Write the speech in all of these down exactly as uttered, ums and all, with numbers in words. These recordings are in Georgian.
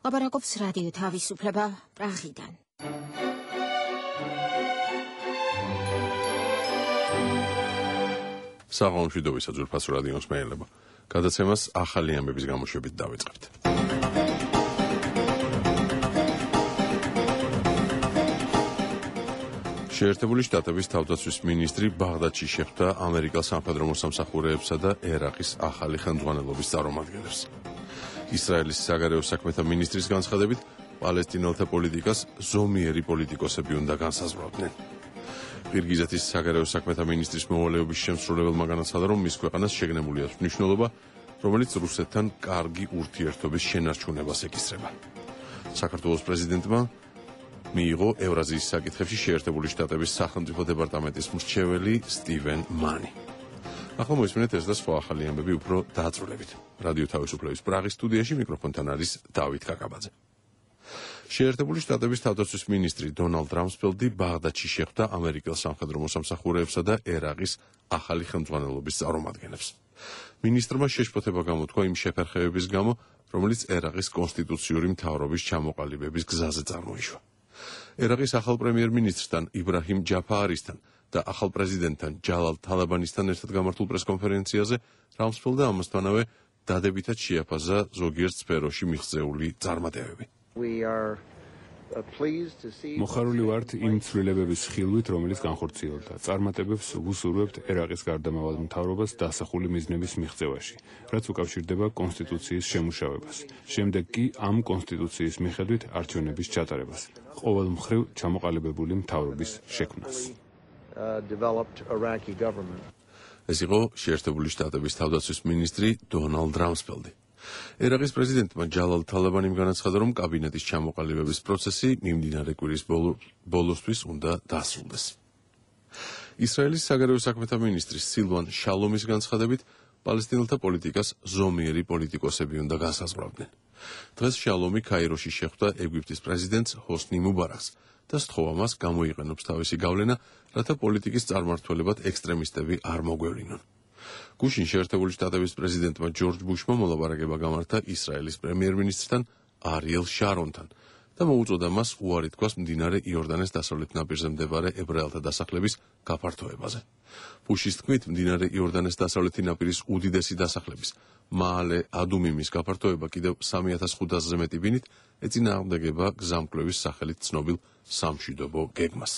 ლაპარაკობს რადიო თავისუფლება პრაღიდან. საღამომშვიდობისა ძვირფას რადიოს მეელებო. გადაცემას ახალი ამბების გამოშვებით დავიწყებთ. შეერთებული შტატების თავდაცვის მინისტრი ბაღდადში შეხვდა ამერიკელ სამხედრო მოსამსახურეებსა და ერაყის ახალი ხელმძღვანელობის წარმომადგენლებს. ისრაელის საგარეო საქმეთა მინისტრის განცხადებით, პალესტინელთა პოლიტიკას ზომიერი პოლიტიკოსები უნდა განსაზღვრავდნენ. ყირგიზეთის საგარეო საქმეთა მინისტრის მოვალეობის შემსრულებელმა განაცხადა, რომ მის ქვეყანას შეგნებული აქვს მნიშვნელობა, რომელიც რუსეთთან კარგი ურთიერთობის შენარჩუნებას ეკისრება. საქართველოს პრეზიდენტმა მიიღო ევრაზიის საკითხებში შეერთებული შტატების სახელმწიფო დეპარტამენტის მრჩეველი სტივენ მანი. ახლა მოისმინეთ ეს და სხვა ახალი ამბები უფრო დაწვრილებით. რადიო თავისუფლების პრაღის სტუდიაში მიკროფონთან არის დავით კაკაბაძე. შეერთებული შტატების თავდაცვის მინისტრი დონალდ რამსფელდი ბაღდადში შეხვდა ამერიკელ სამხედრო მოსამსახურეებსა და ერაყის ახალი ხელმძღვანელობის წარმომადგენლებს. მინისტრმა შეშფოთება გამოთქვა იმ შეფერხებების გამო, რომელიც ერაყის კონსტიტუციური მთავრობის ჩამოყალიბების გზაზე წარმოიშვა. ერაყის ახალ პრემიერ-მინისტრთან იბრაჰიმ ჯაფაარისთან და ახალ პრეზიდენტთან ჯალალ თალაბანისთან ერთად გამართულ პრესკონფერენციაზე რამსფელდა ამასთანავე დადებითად შეაფასა ზოგიერთ სფეროში მიღწეული წარმატებები. მოხარული ვართ იმ ცვლილებების ხილვით, რომელიც განხორციელდა. წარმატებებს ვუსურვებთ ერაყის გარდამავალ მთავრობას დასახული მიზნების მიღწევაში, რაც უკავშირდება კონსტიტუციის შემუშავებას. შემდეგ კი ამ კონსტიტუციის მიხედვით არჩევნების ჩატარებას, ყოველ მხრივ ჩამოყალიბებული მთავრობის შექმნას. ეს იყო შეერთებული შტატების თავდაცვის მინისტრი დონალდ რამსფელდი. ერაყის პრეზიდენტმა ჯალალ თალაბანიმ განაცხადა, რომ კაბინეტის ჩამოყალიბების პროცესი მიმდინარე კვირის ბოლოსთვის უნდა დასრულდეს. ისრაელის საგარეო საქმეთა მინისტრის სილვან შალომის განცხადებით, პალესტინელთა პოლიტიკას ზომიერი პოლიტიკოსები უნდა განსაზღვრავდნენ. დღეს შალომი ქაიროში შეხვდა ეგვიპტის პრეზიდენტს ჰოსნი მუბარაკს და სთხოვა მას გამოიყენოს თავისი გავლენა, რათა პოლიტიკის წარმმართველებად ექსტრემისტები არ მოგვევლინონ. გუშინ შეერთებული შტატების პრეზიდენტმა ჯორჯ ბუშმა მოლაპარაკება გამართა ისრაელის პრემიერ-მინისტრთან არიელ შარონთან და მოუწოდა მას უარი თქვას მდინარე იორდანეს დასავლეთ ნაპირზე მდებარე ებრაელთა დასახლების გაფართოებაზე. ბუშის თქმით, მდინარე იორდანეს დასავლეთი ნაპირის უდიდესი დასახლების მაალე ადუმიმის გაფართოება კიდევ სამი ათას ხუთასზე მეტი ბინით ეწინააღმდეგება გზამკვლევის სახელით ცნობილ სამშვიდობო გეგმას.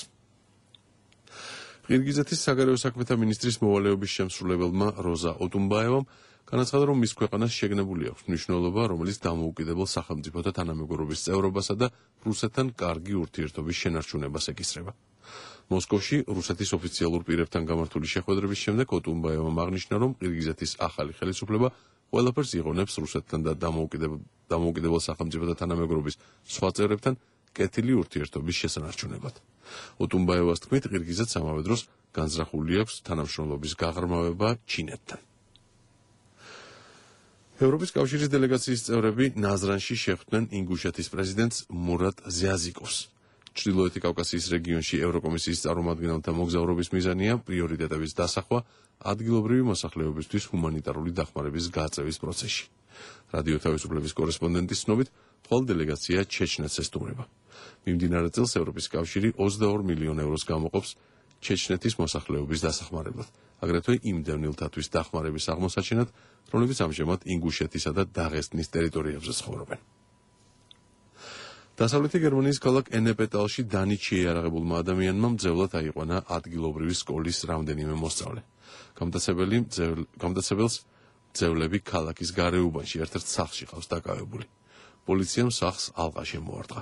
ყირგიზეთის საგარეო საქმეთა მინისტრის მოვალეობის შემსრულებელმა როზა ოტუმბაევამ განაცხადა, რომ მის ქვეყანას შეგნებული აქვს მნიშვნელობა, რომელიც დამოუკიდებელ სახელმწიფოთა თანამეგობრობის წევრობასა და რუსეთთან კარგი ურთიერთობის შენარჩუნებას ეკისრება. მოსკოვში რუსეთის ოფიციალურ პირებთან გამართული შეხვედრების შემდეგ ოტუმბაევამ აღნიშნა, რომ ყირგიზეთის ახალი ხელისუფლება ყველაფერს იღონებს რუსეთთან და დამოუკიდებელ სახელმწიფოთა თანამეგობრობის სხვა წევრებთან კეთილი ურთიერთობის შესანარჩუნებლად. ოტუმბაევას თქმით, ყირგიზეთს ამავე დროს განზრახული აქვს თანამშრომლობის გაღრმავება ჩინეთთან. ევროპის კავშირის დელეგაციის წევრები ნაზრანში შეხვდნენ ინგუშეთის პრეზიდენტს მურატ ზიაზიკოვს. ჩრდილოეთი კავკასიის რეგიონში ევროკომისიის წარმომადგენელთა მოგზაურობის მიზანია პრიორიტეტების დასახვა ადგილობრივი მოსახლეობისთვის ჰუმანიტარული დახმარების გაწევის პროცესში. რადიო თავისუფლების კორესპონდენტის ცნობით, მხოლოდ დელეგაცია ჩეჩნეთს ესტუმრება. მიმდინარე წელს ევროპის კავშირი ოცდაორ მილიონ ევროს გამოყოფს ჩეჩნეთის მოსახლეობის დასახმარებლად, აგრეთვე იმ დევნილთათვის დახმარების აღმოსაჩენად, რომლებიც ამჟამად ინგუშეთისა და დაღესტნის ტერიტორიებზე ცხოვრობენ. დასავლეთი გერმანიის ქალაქ ენეპეტალში დანით შეიარაღებულმა ადამიანმა მძევლად აიყვანა ადგილობრივი სკოლის რამდენიმე მოსწავლე. გამტაცებელს მძევლები ქალაქის გარეუბანში ერთ-ერთ სახლში ყავს დაკავებული. პოლიციამ სახლს ალყა შემოარტყა.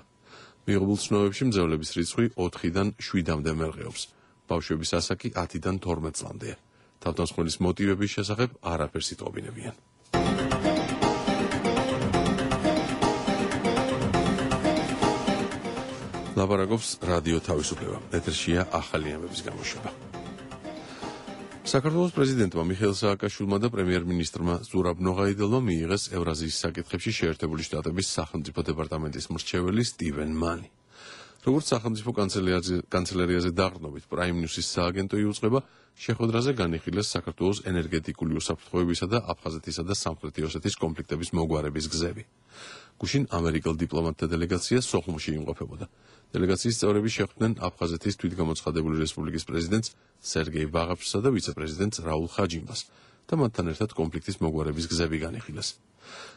მიიღებულ ცნობებში მძევლების რიცხვი ოთხიდან შვიდამდე მერყეობს. ბავშვების ასაკი ათიდან თორმეტ წლამდეა. თავდამსხმელის მოტივების შესახებ არაფერს იტყობინებიან. ლაპარაკობს რადიო თავისუფლება. ეთერშია ახალი ამბების გამოშვება. საქართველოს პრეზიდენტმა მიხეილ სააკაშვილმა და პრემიერ-მინისტრმა ზურაბ ნოღაიდელმა მიიღეს ევრაზიის საკითხებში შეერთებული შტატების სახელმწიფო დეპარტამენტის მრჩეველი სტივენ მანი. როგორც სახელმწიფო კანცელერიაზე დაყრდნობით პრაიმ ნიუსის სააგენტო იუწყება, შეხვედრაზე განიხილეს საქართველოს ენერგეტიკული უსაფრთხოებისა და აფხაზეთისა და სამხრეთი ოსეთის კონფლიქტების მოგვარების გზები. გუშინ ამერიკელ დიპლომატთა დელეგაცია სოხუმში იმყოფებოდა. დელეგაციის წევრები შეხვდნენ აფხაზეთის თვითგამოცხადებული რესპუბლიკის პრეზიდენტს სერგეი ბაღაფშსა და ვიცე-პრეზიდენტს რაულ ხაჯიმბას და მათთან ერთად კონფლიქტის მოგვარების გზები განიხილეს.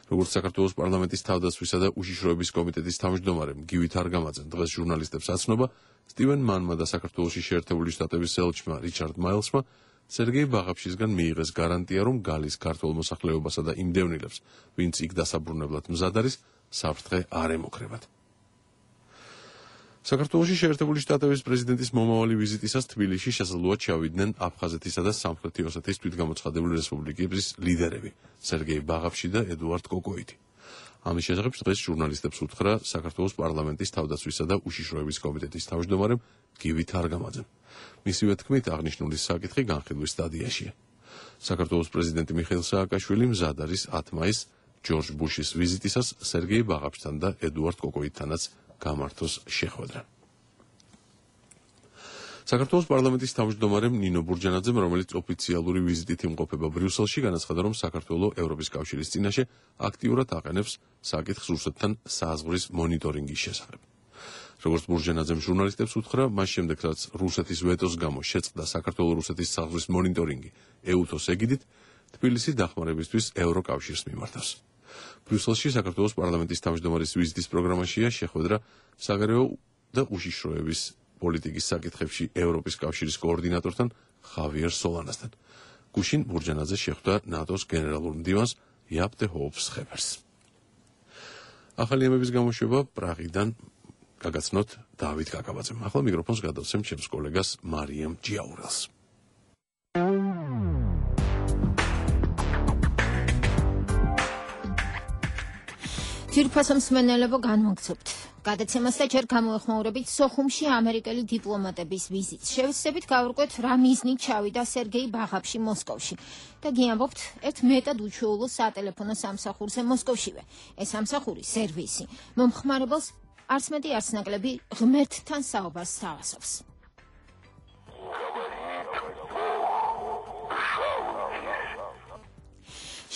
როგორც საქართველოს პარლამენტის თავდაცვისა და უშიშროების კომიტეტის თავმჯდომარემ გივი თარგამაძემ დღეს ჟურნალისტებს აცნობა, სტივენ მანმა და საქართველოში შეერთებული შტატების ელჩმა რიჩარდ მაილსმა სერგეი ბაღაფშისგან მიიღეს გარანტია, რომ გალის ქართულ მოსახლეობასა და იმ დევნილებს, ვინც იქ დასაბრუნებლად მზად არის, საფრთხე არ ემუქრებათ. საქართველოში შეერთებული შტატების პრეზიდენტის მომავალი ვიზიტისას თბილისში შესაძლოა ჩავიდნენ აფხაზეთისა და სამხრეთი ოსეთის თვითგამოცხადებული რესპუბლიკების ლიდერები სერგეი ბაღაფში და ედუარდ კოკოიდი. ამის შესახებ დღეს ჟურნალისტებს უთხრა საქართველოს პარლამენტის თავდაცვისა და უშიშროების კომიტეტის თავმჯდომარემ გივი თარგამაძემ. მისივე თქმით, აღნიშნული საკითხი განხილვის სტადიაშია. საქართველოს პრეზიდენტი მიხეილ სააკაშვილი მზად არის ათ მაისს ჯორჯ ბუშის ვიზიტისას სერგეი ბაღაფშთან და ედუარდ კოკოიდთანაც გამართოს შეხვედრა. საქართველოს პარლამენტის თავმჯდომარემ ნინო ბურჯანაძემ, რომელიც ოფიციალური ვიზიტით იმყოფება ბრიუსელში, განაცხადა, რომ საქართველო ევროპის კავშირის წინაშე აქტიურად აყენებს საკითხს რუსეთთან საზღვრის მონიტორინგის შესახებ. როგორც ბურჯანაძემ ჟურნალისტებს უთხრა, მას შემდეგ, რაც რუსეთის ვეტოს გამო შეწყდა საქართველო-რუსეთის საზღვრის მონიტორინგი ეუთოს ეგიდით, თბილისი დახმარებისთვის ევროკავშირს მიმართავს. ბრიუსელში საქართველოს პარლამენტის თავმჯდომარის ვიზიტის პროგრამაშია შეხვედრა საგარეო და უშიშროების პოლიტიკის საკითხებში ევროპის კავშირის კოორდინატორთან ხავიერ სოლანასთან. გუშინ ბურჯანაძე შეხვდა ნატოს გენერალურ მდივანს იაპ დე ჰოოფს ხეფერს. ახალი ემების გამოშვება პრაღიდან გაგაცნოთ დავით კაკაბაძემ. ახლა მიკროფონს გადავცემ ჩემს კოლეგას მარიამ ჯიაურელს. ძვირფასო მსმენელებო, განვაგრძობთ. გადაცემას და ჯერ გამოეხმაურებით სოხუმში ამერიკელი დიპლომატების ვიზიტს. შევეცდებით გავურკვევთ, რა მიზნით ჩავიდა სერგეი ბაღაფში მოსკოვში და გიამბობთ ერთ მეტად უჩვეულო სატელეფონო სამსახურზე მოსკოვშივე. ეს სამსახური სერვისი მომხმარებელს არც მეტი არც ნაკლები ღმერთთან საუბარს სთავაზობს.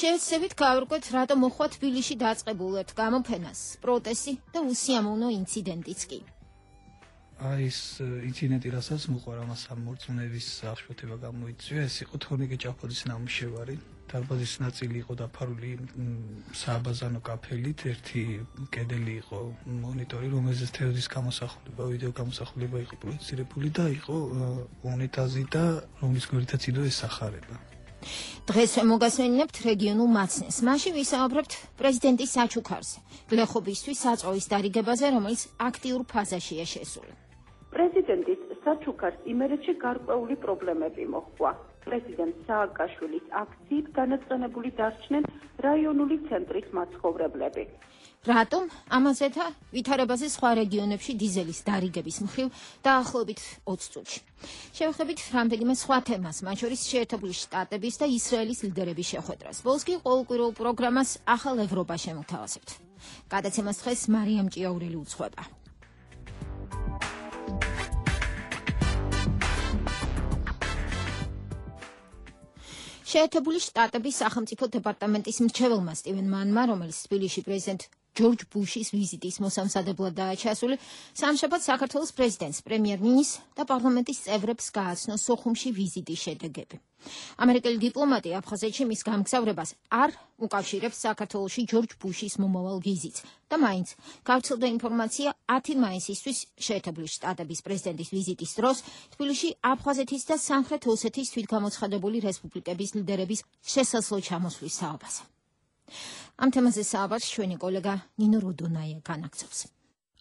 შევეცდებით გავურკვევთ, რატომ მოხდა თბილისში დაწყებულ ერთ გამოფენას პროტესტი და უსიამოვნო ინციდენტიც კი. აი ეს ინციდენტი, რასაც მოყვა, რამაც მორწმუნეების აღშფოთება გამოიწვია, ეს იყო თორნიკე ჭაფოძის ნამუშევარი. დარბაზის ნაწილი იყო დაფარული სააბაზანო კაფელით, ერთი კედელი იყო მონიტორი, რომელზეც თევზის გამოსახულება, ვიდეო გამოსახულება იყო პროექცირებული და იყო უნიტაზი და რომლის გვერდითაც იდო ეს სახარება. დღეს მოგასვენებთ რეგიონულ მაცნეს. მაშინ ვისაუბრებთ პრეზიდენტის საჩუქარზე, გლეხობისთვის საწყოვის დარიგებაზე, რომელიც აქტიურ ფაზაშია შესული. პრეზიდენტის საჩუქარს იმერეთში გარკვეული პრობლემები მოჰყვა. პრეზიდენტ სააკაშვილის აქციით განაცხენებული დარჩნენ რაიონული ცენტრის მაცხოვრებლები. რატომ? ამაზე და ვითარებაზე სხვა რეგიონებში დიზელის დარიგების მხრივ დაახლოებით ოცი წუთში. შევხვდებით რამდენიმე სხვა თემას, მათ შორის შეერთებული შტატების და ისრაელის ლიდერების შეხვედრას. ბოლოს კი ყოველკვირეულ პროგრამას ახალ ევროპა შემოგთავაზებთ. გადაცემას დღეს მარიამ ჭიაურელი უძღვება. შეერთებული შტატების სახელმწიფო დეპარტამენტის მრჩეველმა სტივენ მანმა, რომელიც თბილისში პრეზიდენტ ჯორჯ ბუშის ვიზიტის მოსამზადებლად დააჩასული, სამშაბათს საქართველოს პრეზიდენტს, პრემიერ-მინისტრს და პარლამენტის წევრებს გააცნო სოხუმში ვიზიტის შედეგები. ამერიკელი დიპლომატი აფხაზეთში მის გამგზავრებას არ უკავშირებს საქართველოში ჯორჯ ბუშის მომავალ ვიზიტს და მაინც გავრცელდა ინფორმაცია ათი მაისისთვის შეერთებული შტატების პრეზიდენტის ვიზიტის დროს თბილისში აფხაზეთის და სამხრეთ ოსეთის თვითგამოცხადებული რესპუბლიკების ლიდერების შესაძლო ჩამოსვლის საუბარზე. ამ თემაზე საუბარს ჩვენი კოლეგა ნინო როდონაია განაგრძობს.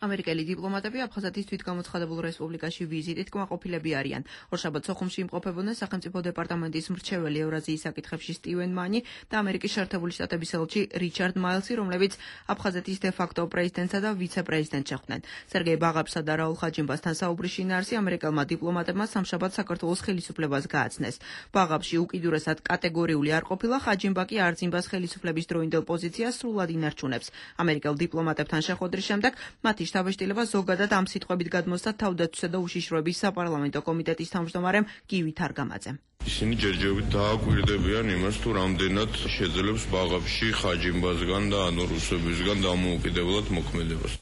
ამერიკელი დიპლომატები აფხაზეთის თვითგამოცხადებულ რესპუბლიკაში ვიზიტით კმაყოფილები არიან. ორშაბათს სოხუმში იმყოფებოდნენ სახელმწიფო დეპარტამენტის მრჩეველი ევრაზიის საკითხებში სტივენ მანი და ამერიკის შეერთებული შტატების ელჩი რიჩარდ მაილსი, რომლებიც აფხაზეთის დე-ფაქტო პრეზიდენტსა და ვიცე-პრეზიდენტს შეხვდნენ. სერგეი ბაღაფშსა და რაულ ხაჯიმბასთან საუბრის შინაარსი ამერიკელმა დიპლომატებმა სამშაბათს საქართველოს ხელისუფლებას გააცნეს. ბაღაფში უკიდურესად კატეგორიული არ ყოფილა, ხაჯიმბა კი არძიმბას ხელისუფლების დროინდელ პოზიციას სრულად ინარჩუნებს. ამერიკელ დიპლომატებთან შეხვედრის შემდეგ მათი შტაბ-ბიჭდილება ზოგადად ამ სიტყვებით გადმოსცა თავდაცვისა და უშიშროების საპარლამენტო კომიტეტის თავმჯდომარემ გივი თარგამაძემ. ისინი ჯერჯერობით დააკვირდებიან იმას, თუ რამდენად შეძლებს ბაღებში ხაჯიმბაზგან და ანუ რუსებისგან დამოუკიდებლად მოქმედებას.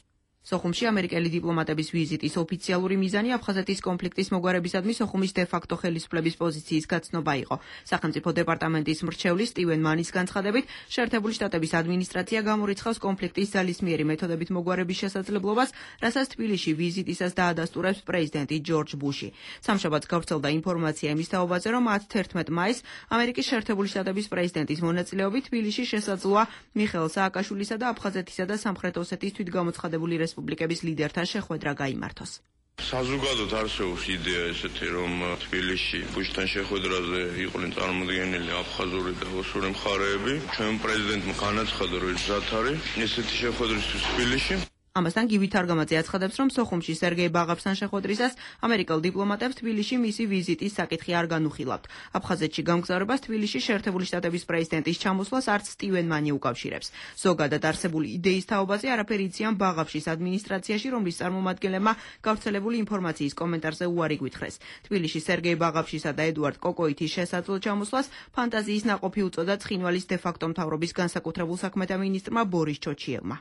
სოხუმში ამერიკელი დიპლომატების ვიზიტის ოფიციალური მიზანი აფხაზეთის კონფლიქტის მოგვარებისადმი სოხუმის დე-ფაქტო ხელისუფლების პოზიციის გაცნობა იყო. სახელმწიფო დეპარტამენტის მრჩევლის სტივენ მანის განცხადებით, შეერთებული შტატების ადმინისტრაცია გამორიცხავს კონფლიქტის ძალისმიერი მეთოდებით მოგვარების შესაძლებლობას, რასაც თბილისში ვიზიტისას დაადასტურებს პრეზიდენტი ჯორჯ ბუში. სამშაბათს გავრცელდა ინფორმაცია იმის თაობაზე, რომ ათი მაისს ამერიკის შეერთებული შტატების პრეზიდენტის მონაწილეობით თბილისში შესაძლოა მიხეილ სააკაშვილისა და აფხაზეთისა და სამხრეთ ოსეთის თვითგამოცხადებული რესპუბლიკების ლიდერთა შეხვედრა გაიმართოს. საზოგადოდ არსებობს იდეა ესეთი, რომ თბილისში ბუშთან შეხვედრაზე იყვნენ წარმოდგენილი აფხაზური და ოსური მხარეები. ჩვენ პრეზიდენტმა განაცხადა, რომ ის მზად არის ესეთი შეხვედრისთვის თბილისში. ამასთან გივი თარგამაძე აცხადებს, რომ სოხუმში სერგეი ბაღავსთან შეხვედრისას ამერიკელ დიპლომატებს თბილისში მისი ვიზიტის საკითხი არ განუხილავთ. აფხაზეთში გამგზავრებას თბილისში შეერთებული შტატების პრეზიდენტის ჩამოსვლას არც სტივენ მანი უკავშირებს. ზოგადად არსებული იდეის თაობაზე არაფერი იციან ბაღავშის ადმინისტრაციაში, რომლის წარმომადგენლებმა გავრცელებული ინფორმაციის კომენტარზე უარი გვითხრეს. თბილისში სერგეი ბაღავშისა და ედუარდ კოკოითის შესაძლო ჩამოსვლას ფანტაზიის ნაყოფი უწოდა ცხინვალის დე-ფაქტო მთავრობის განსაკუთრებულ საქმეთა მინისტრმა ბორის ჩოჩიევმა.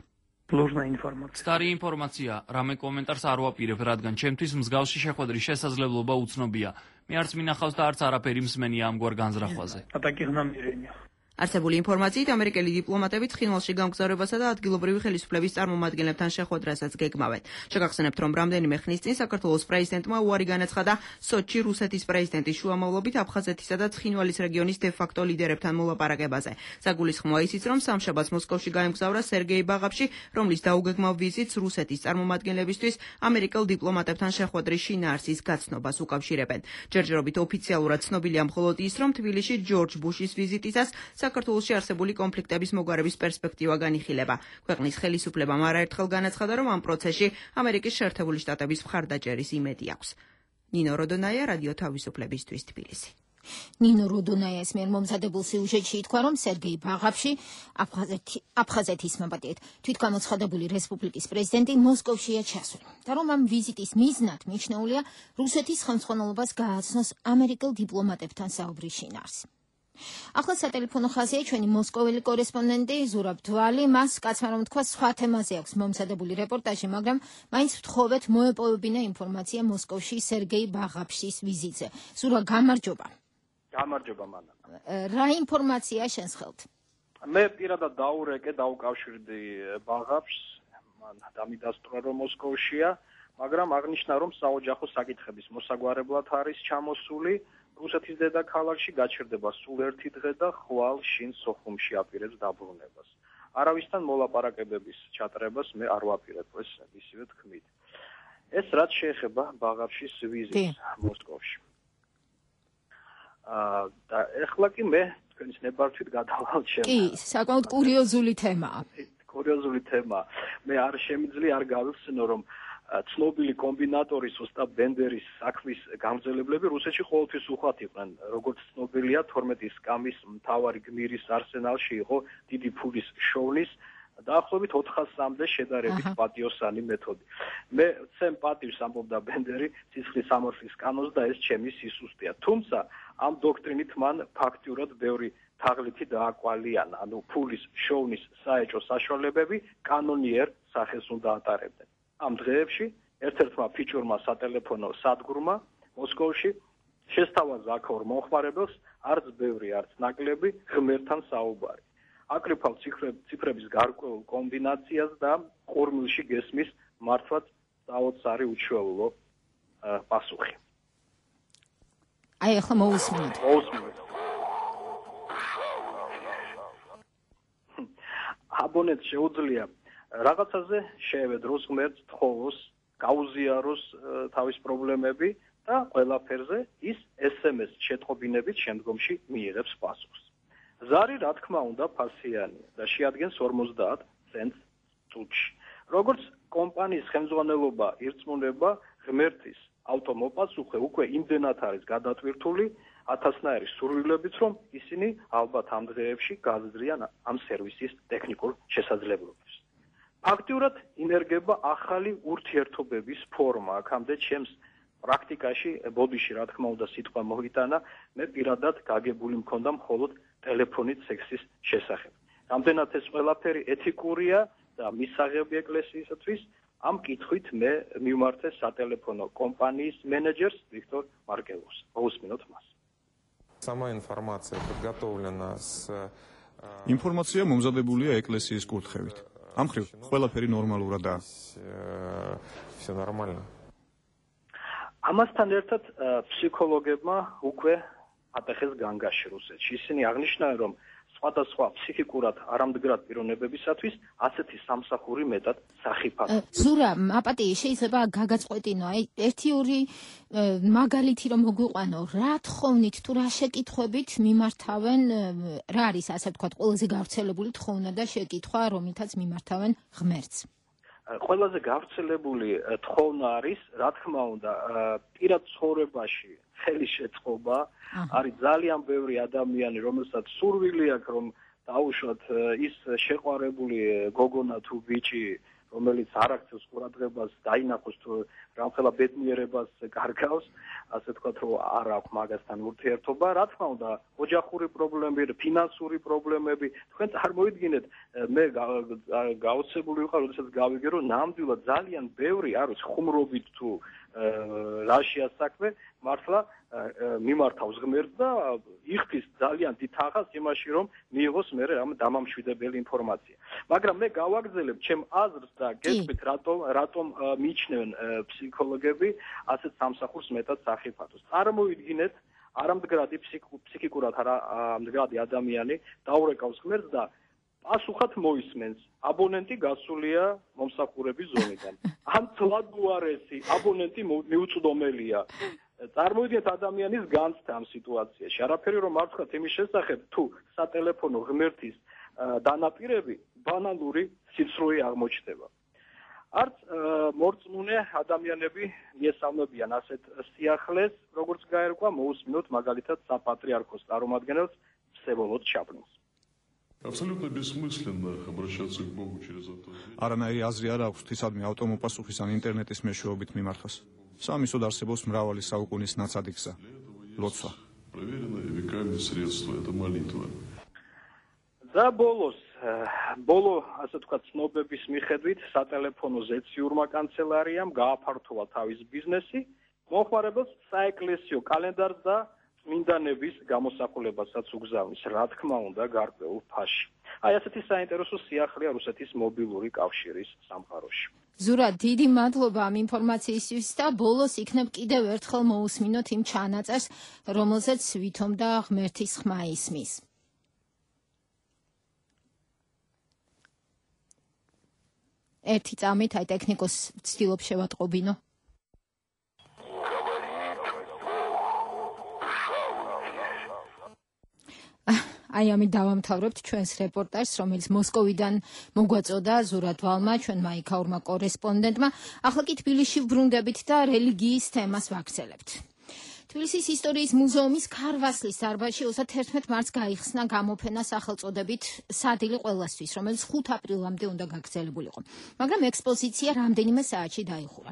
ложная информация. Სტარი ინფორმაცია, რამე კომენტარს არ ვაპირებ, რადგან ჩემთვის მსგავსი შეხვედრის შესაძლებლობა უცნობია. მე არც მინახავს და არც არაფერი მსმენია ამგვარ განზრახვაზე. А таких намерений. არსებული ინფორმაციით ამერიკელი დიპლომატები ცხინვალში გამგზავრებასა და ადგილობრივი ხელისუფლების წარმომადგენლებთან შეხვედრასაც გეგმავენ. შეგახსენებთ, რომ რამდენიმე ხნის წინ საქართველოს პრეზიდენტმა უარი განაცხადა სოჩში რუსეთის პრეზიდენტის შუამავლობით აფხაზეთისა და ცხინვალის რეგიონის დე-ფაქტო ლიდერებთან მოლაპარაკებაზე. საგულისხმოა ისიც, რომ სამშაბათს მოსკოვში გაემგზავრა სერგეი ბაღავში, რომლის დაუგეგმავ ვიზიტს რუსეთის წარმომადგენლებისთვის ამერიკელ დიპლომატებთან შეხვედრის შინაარსის გაცნობას უკავშირებენ. ჯერჯერობით ოფიციალურად ცნობილია მხოლოდ ის, რომ თბილისში ჯორჯ ბუშის ვიზიტისას საქართველოში არსებული კონფლიქტების მოგვარების პერსპექტივა განიხილება. ქვეყნის ხელისუფლებამ არაერთხელ განაცხადა, რომ ამ პროცესში ამერიკის შეერთებული შტატების მხარდაჭერის იმედი აქვს. ნინო როდონაია, რადიო თავისუფლებისთვის, თბილისი. ნინო როდონაიას მიერ მომზადებულ სიუჟეტში ითქვა, რომ სერგეი ბაღავში აფხაზეთის მაბატიეთ თვითგამოცხადებული რესპუბლიკის პრეზიდენტი მოსკოვშია ჩასული და რომ ამ ვიზიტის მიზნად მიჩნეულია რუსეთის ხელმძღვანელობას გააცნოს ამერიკელ დიპლომატებთან საუბრის შინაარსი. ახლა სატელეფონო ხაზია ჩვენი მოსკოველი კორესპონდენტი ზურაბ დვალი, მას კაცმა რომ თქვა სხვა თემაზე აქვს მომზადებული რეპორტაჟი, მაგრამ მაინც ვთხოვეთ მოეპოვებინა ინფორმაცია მოსკოვში სერგეი ბაღავშის ვიზიტზე. ზურაბ, გამარჯობა. გამარჯობა მანა. რა ინფორმაცია შენს ხელთ? მე პირადად დაურეკე, დაუკავშირდი ბაღავშს, მან დამიდასტურა რომ მოსკოვშია, მაგრამ აღნიშნა რომ საოჯახო საკითხების მოსაგვარებლად არის ჩამოსული. რუსეთის დედაქალაქში გაჩერდება სულ ერთი დღე და ხვალ შინ სოხუმში აპირებს დაბრუნებას. არავისთან მოლაპარაკებების ჩატარებას მე არ ვაპირებ, ეს ისევე თქმით. ეს რაც შეეხება ბაღავშის ვიზიტს მოსკოვში. აა და ეხლა კი მე თქვენის ნებართვით გადავალ ჩემ. კი, საკმაოდ კურიოზული თემაა. კურიოზული თემაა. მე არ შემიძლია არ გავიხსენო, რომ ცნობილი კომბინატორის ოსტატ ბენდერის საქმის გამგზელებლები რუსეთში ყოველთვის უხვად იყვნენ. როგორც ცნობილია, თორმეტი სკამის მთავარი გმირის არსენალში იყო დიდი ფულის შოვნის დაახლოებით ოთხასამდე შედარებით პატიოსანი მეთოდი. მე ვცემ პატივს, ამბობდა ბენდერი, ცისხლის სამართლის კანონს და ეს ჩემი სისუსტეა. თუმცა ამ დოქტრინით მან ფაქტიურად ბევრი თაღლითი დააკვალიანა, ანუ ფულის შოვნის საეჭვო საშუალებები კანონიერ სახეს უნდა ატარებდნენ. ამ დღეებში ერთ-ერთმა ფიჭურმა სატელეფონო სადგურმა მოსკოვში შესთავაზა აქაურ მომხმარებელს არც ბევრი, არც ნაკლები ღმერთთან საუბარი. აკრიფავ ციფრების გარკვეულ კომბინაციას და ყურმილში გესმის მართვაც საოცარი უჩვეულო პასუხი. აი ახლა მოусმინოთ. მოусმინოთ. აბონენტს შეუძლია რაღაცაზე შეევედროს ღმერთს, თხოვოს, გაუზიაროს თავის პრობლემები და ყველაფერზე ის ეს em es შეტყობინებით შემდგომში მიიღებს პასუხს. ზარი, რა თქმა უნდა, ფასიანია და შეადგენს ორმოცდაათ ცენტს წუთში. როგორც კომპანიის ხელმძღვანელობა ირწმუნება, ღმერთის ავტომოპასუხე უკვე იმდენად არის გადატვირთული ათასნაირი სურვილებით, რომ ისინი ალბათ ამ დღეებში გაზრდიან ამ სერვისის ტექნიკურ შესაძლებლობებს. აქტიურად ინერგება ახალი ურთიერთობების ფორმა. აქამდე ჩემს პრაქტიკაში, ბოდიში რა თქმა უნდა სიტყვა მოიტანა, მე პირადად გაგებული მქონდა მხოლოდ ტელეფონით სექსის შესახებ. რამდენად ეს ყველაფერი ეთიკურია და მისაღები ეკლესიისათვის, ამ კითხვით მე მივმართე სატელეფონო კომპანიის მენეჯერს ვიქტორ მარკელოვს. მოусმინოთ მას. Сама информация подготовлена с Ინფორმაცია მომზადებულია ეკლესიის კურთხევით. ამ ხრივ ყველაფერი ნორმალურადაა. Всё нормально. ამასთან ერთად ფსიქოლოგებმა უკვე ატეხეს განგაში რუსეთში. ისინი აღნიშნავენ, რომ სხვადასხვა ფსიქიკურად არამდგრად პიროვნებებისათვის ასეთი სამსახური მეტად სახიფათოა. ზურა, აპატი, შეიძლება გაგაწყვეტინო, აი ერთი ორი მაგალითი რომ მოგვიყვანო, რა თხოვნით თუ რა შეკითხვებით მიმართავენ, რა არის ასე ვთქვათ, ყველაზე გავრცელებული თხოვნა და შეკითხვა, რომელთაც მიმართავენ ღმერთს. ყველაზე გავრცელებული თხოვნა არის, რა თქმა უნდა, პირად ცხოვრებაში ხელის შეწყობა, არის ძალიან ბევრი ადამიანი, რომელსაც სურვილი აქვს, რომ დაუშვათ ის შეყვარებული გოგონა თუ ბიჭი, რომელიც არ აქცევს ყურადღებას, დაინახოს თუ რამხელა ბედნიერებას კარგავს, ასე ვთქვათ, რომ არ აქვს მაგასთან ურთიერთობა. რა თქმა უნდა, ოჯახური პრობლემები, ფინანსური პრობლემები, თქვენ წარმოიდგინეთ, მე გაოცებული ვიყავ, როდესაც გავიგე, რომ ნამდვილად ძალიან ბევრი არის ხუმრობით თუ რაშია საქმე, მართლა მიმართავს ღმერთს და იხდის ძალიან დიდ თანხას იმაში, რომ მიიღოს მე რამ დამამშვიდებელი ინფორმაცია. მაგრამ მე გავაგზავნებ ჩემ აზრს და გეტყვით, რატომ რატომ მიიჩნევენ ფსიქოლოგები ასეთ სამსახურს მეტად სახიფათოს. წარმოიდგინეთ, არამდგრადი ფსიქიკურად არამდგრადი ადამიანი დაურეკავს ღმერთს და პასუხად მოისმენს. აბონენტი გასულია მომსახურების ზონიდან. ან თლადუარესი აბონენტი მიუწვდომელია. წარმოიდგინეთ ადამიანის განცდა ამ სიტუაციაში. არაფერი რომ მარცხათ იმის შესახებ, თუ სატელეფონო ღმერთის დანაპირები ბანალური სიცრუე აღმოჩნდება. არც მორწმუნე ადამიანები მიესალმებიან ასეთ სიახლეს, როგორც გაერკვა, მოусმინოთ მაგალითად საპატრიარქოს წარმომადგენელს всеволод ჩაპლინს. Абсолютно бессмысленно обращаться к Богу через это. არანაირი აზრი არ აქვს ღვთისადმი ავტომოპასუხის ან ინტერნეტის მეშვეობით მიმარხას. სამისოდ არსებობს მრავალი საუკუნის ნაცადი გზა. ლოცვა. Проверенное веками средство это молитва. და ბოლოს, ბოლო, ასე ვთქვათ, ცნობების მიხედვით, სატელეფონო ზეციურმა კანცელარიამ გააფართოვა თავის ბიზნესი, მომხმარებელს საეკლესიო კალენდარს და წმინდანების გამოსახულებასაც უგზავნის, რა თქმა უნდა, გარკვეულ ფასში. აი ასეთი საინტერესო სიახლეა რუსეთის მობილური კავშირის სამყაროში. ზურა, დიდი მადლობა ამ ინფორმაციისთვის და ბოლოს იქნებ კიდევ ერთხელ მოусმინოთ იმ ჩანაწერს, რომელზეც ვითომ და ღმერთის ხმა ისმის. ერთი წამით, აი ტექნიკოს ვცდილობ შევატყობინო. აი ამით დავამთავრებთ ჩვენს რეპორტაჟს, რომელიც მოსკოვიდან მოგვაწოდა ზურაბ ვალმა, ჩვენ მაიქაურმა კორესპონდენტმა. ახლა კი თბილისში ვბრუნდებით და რელიგიის თემას ვაგრძელებთ. თბილისის ისტორიის მუზეუმის ქარვასლის დარბაზში ოცდაათერთმეტ მარტს გაიხსნა გამოფენა სახელწოდებით სადილე ყველასთვის, რომელიც ხუთ აპრილამდე უნდა გაგრძელებულიყო. მაგრამ ექსპოზიცია რამდენიმე საათში დაიხურა.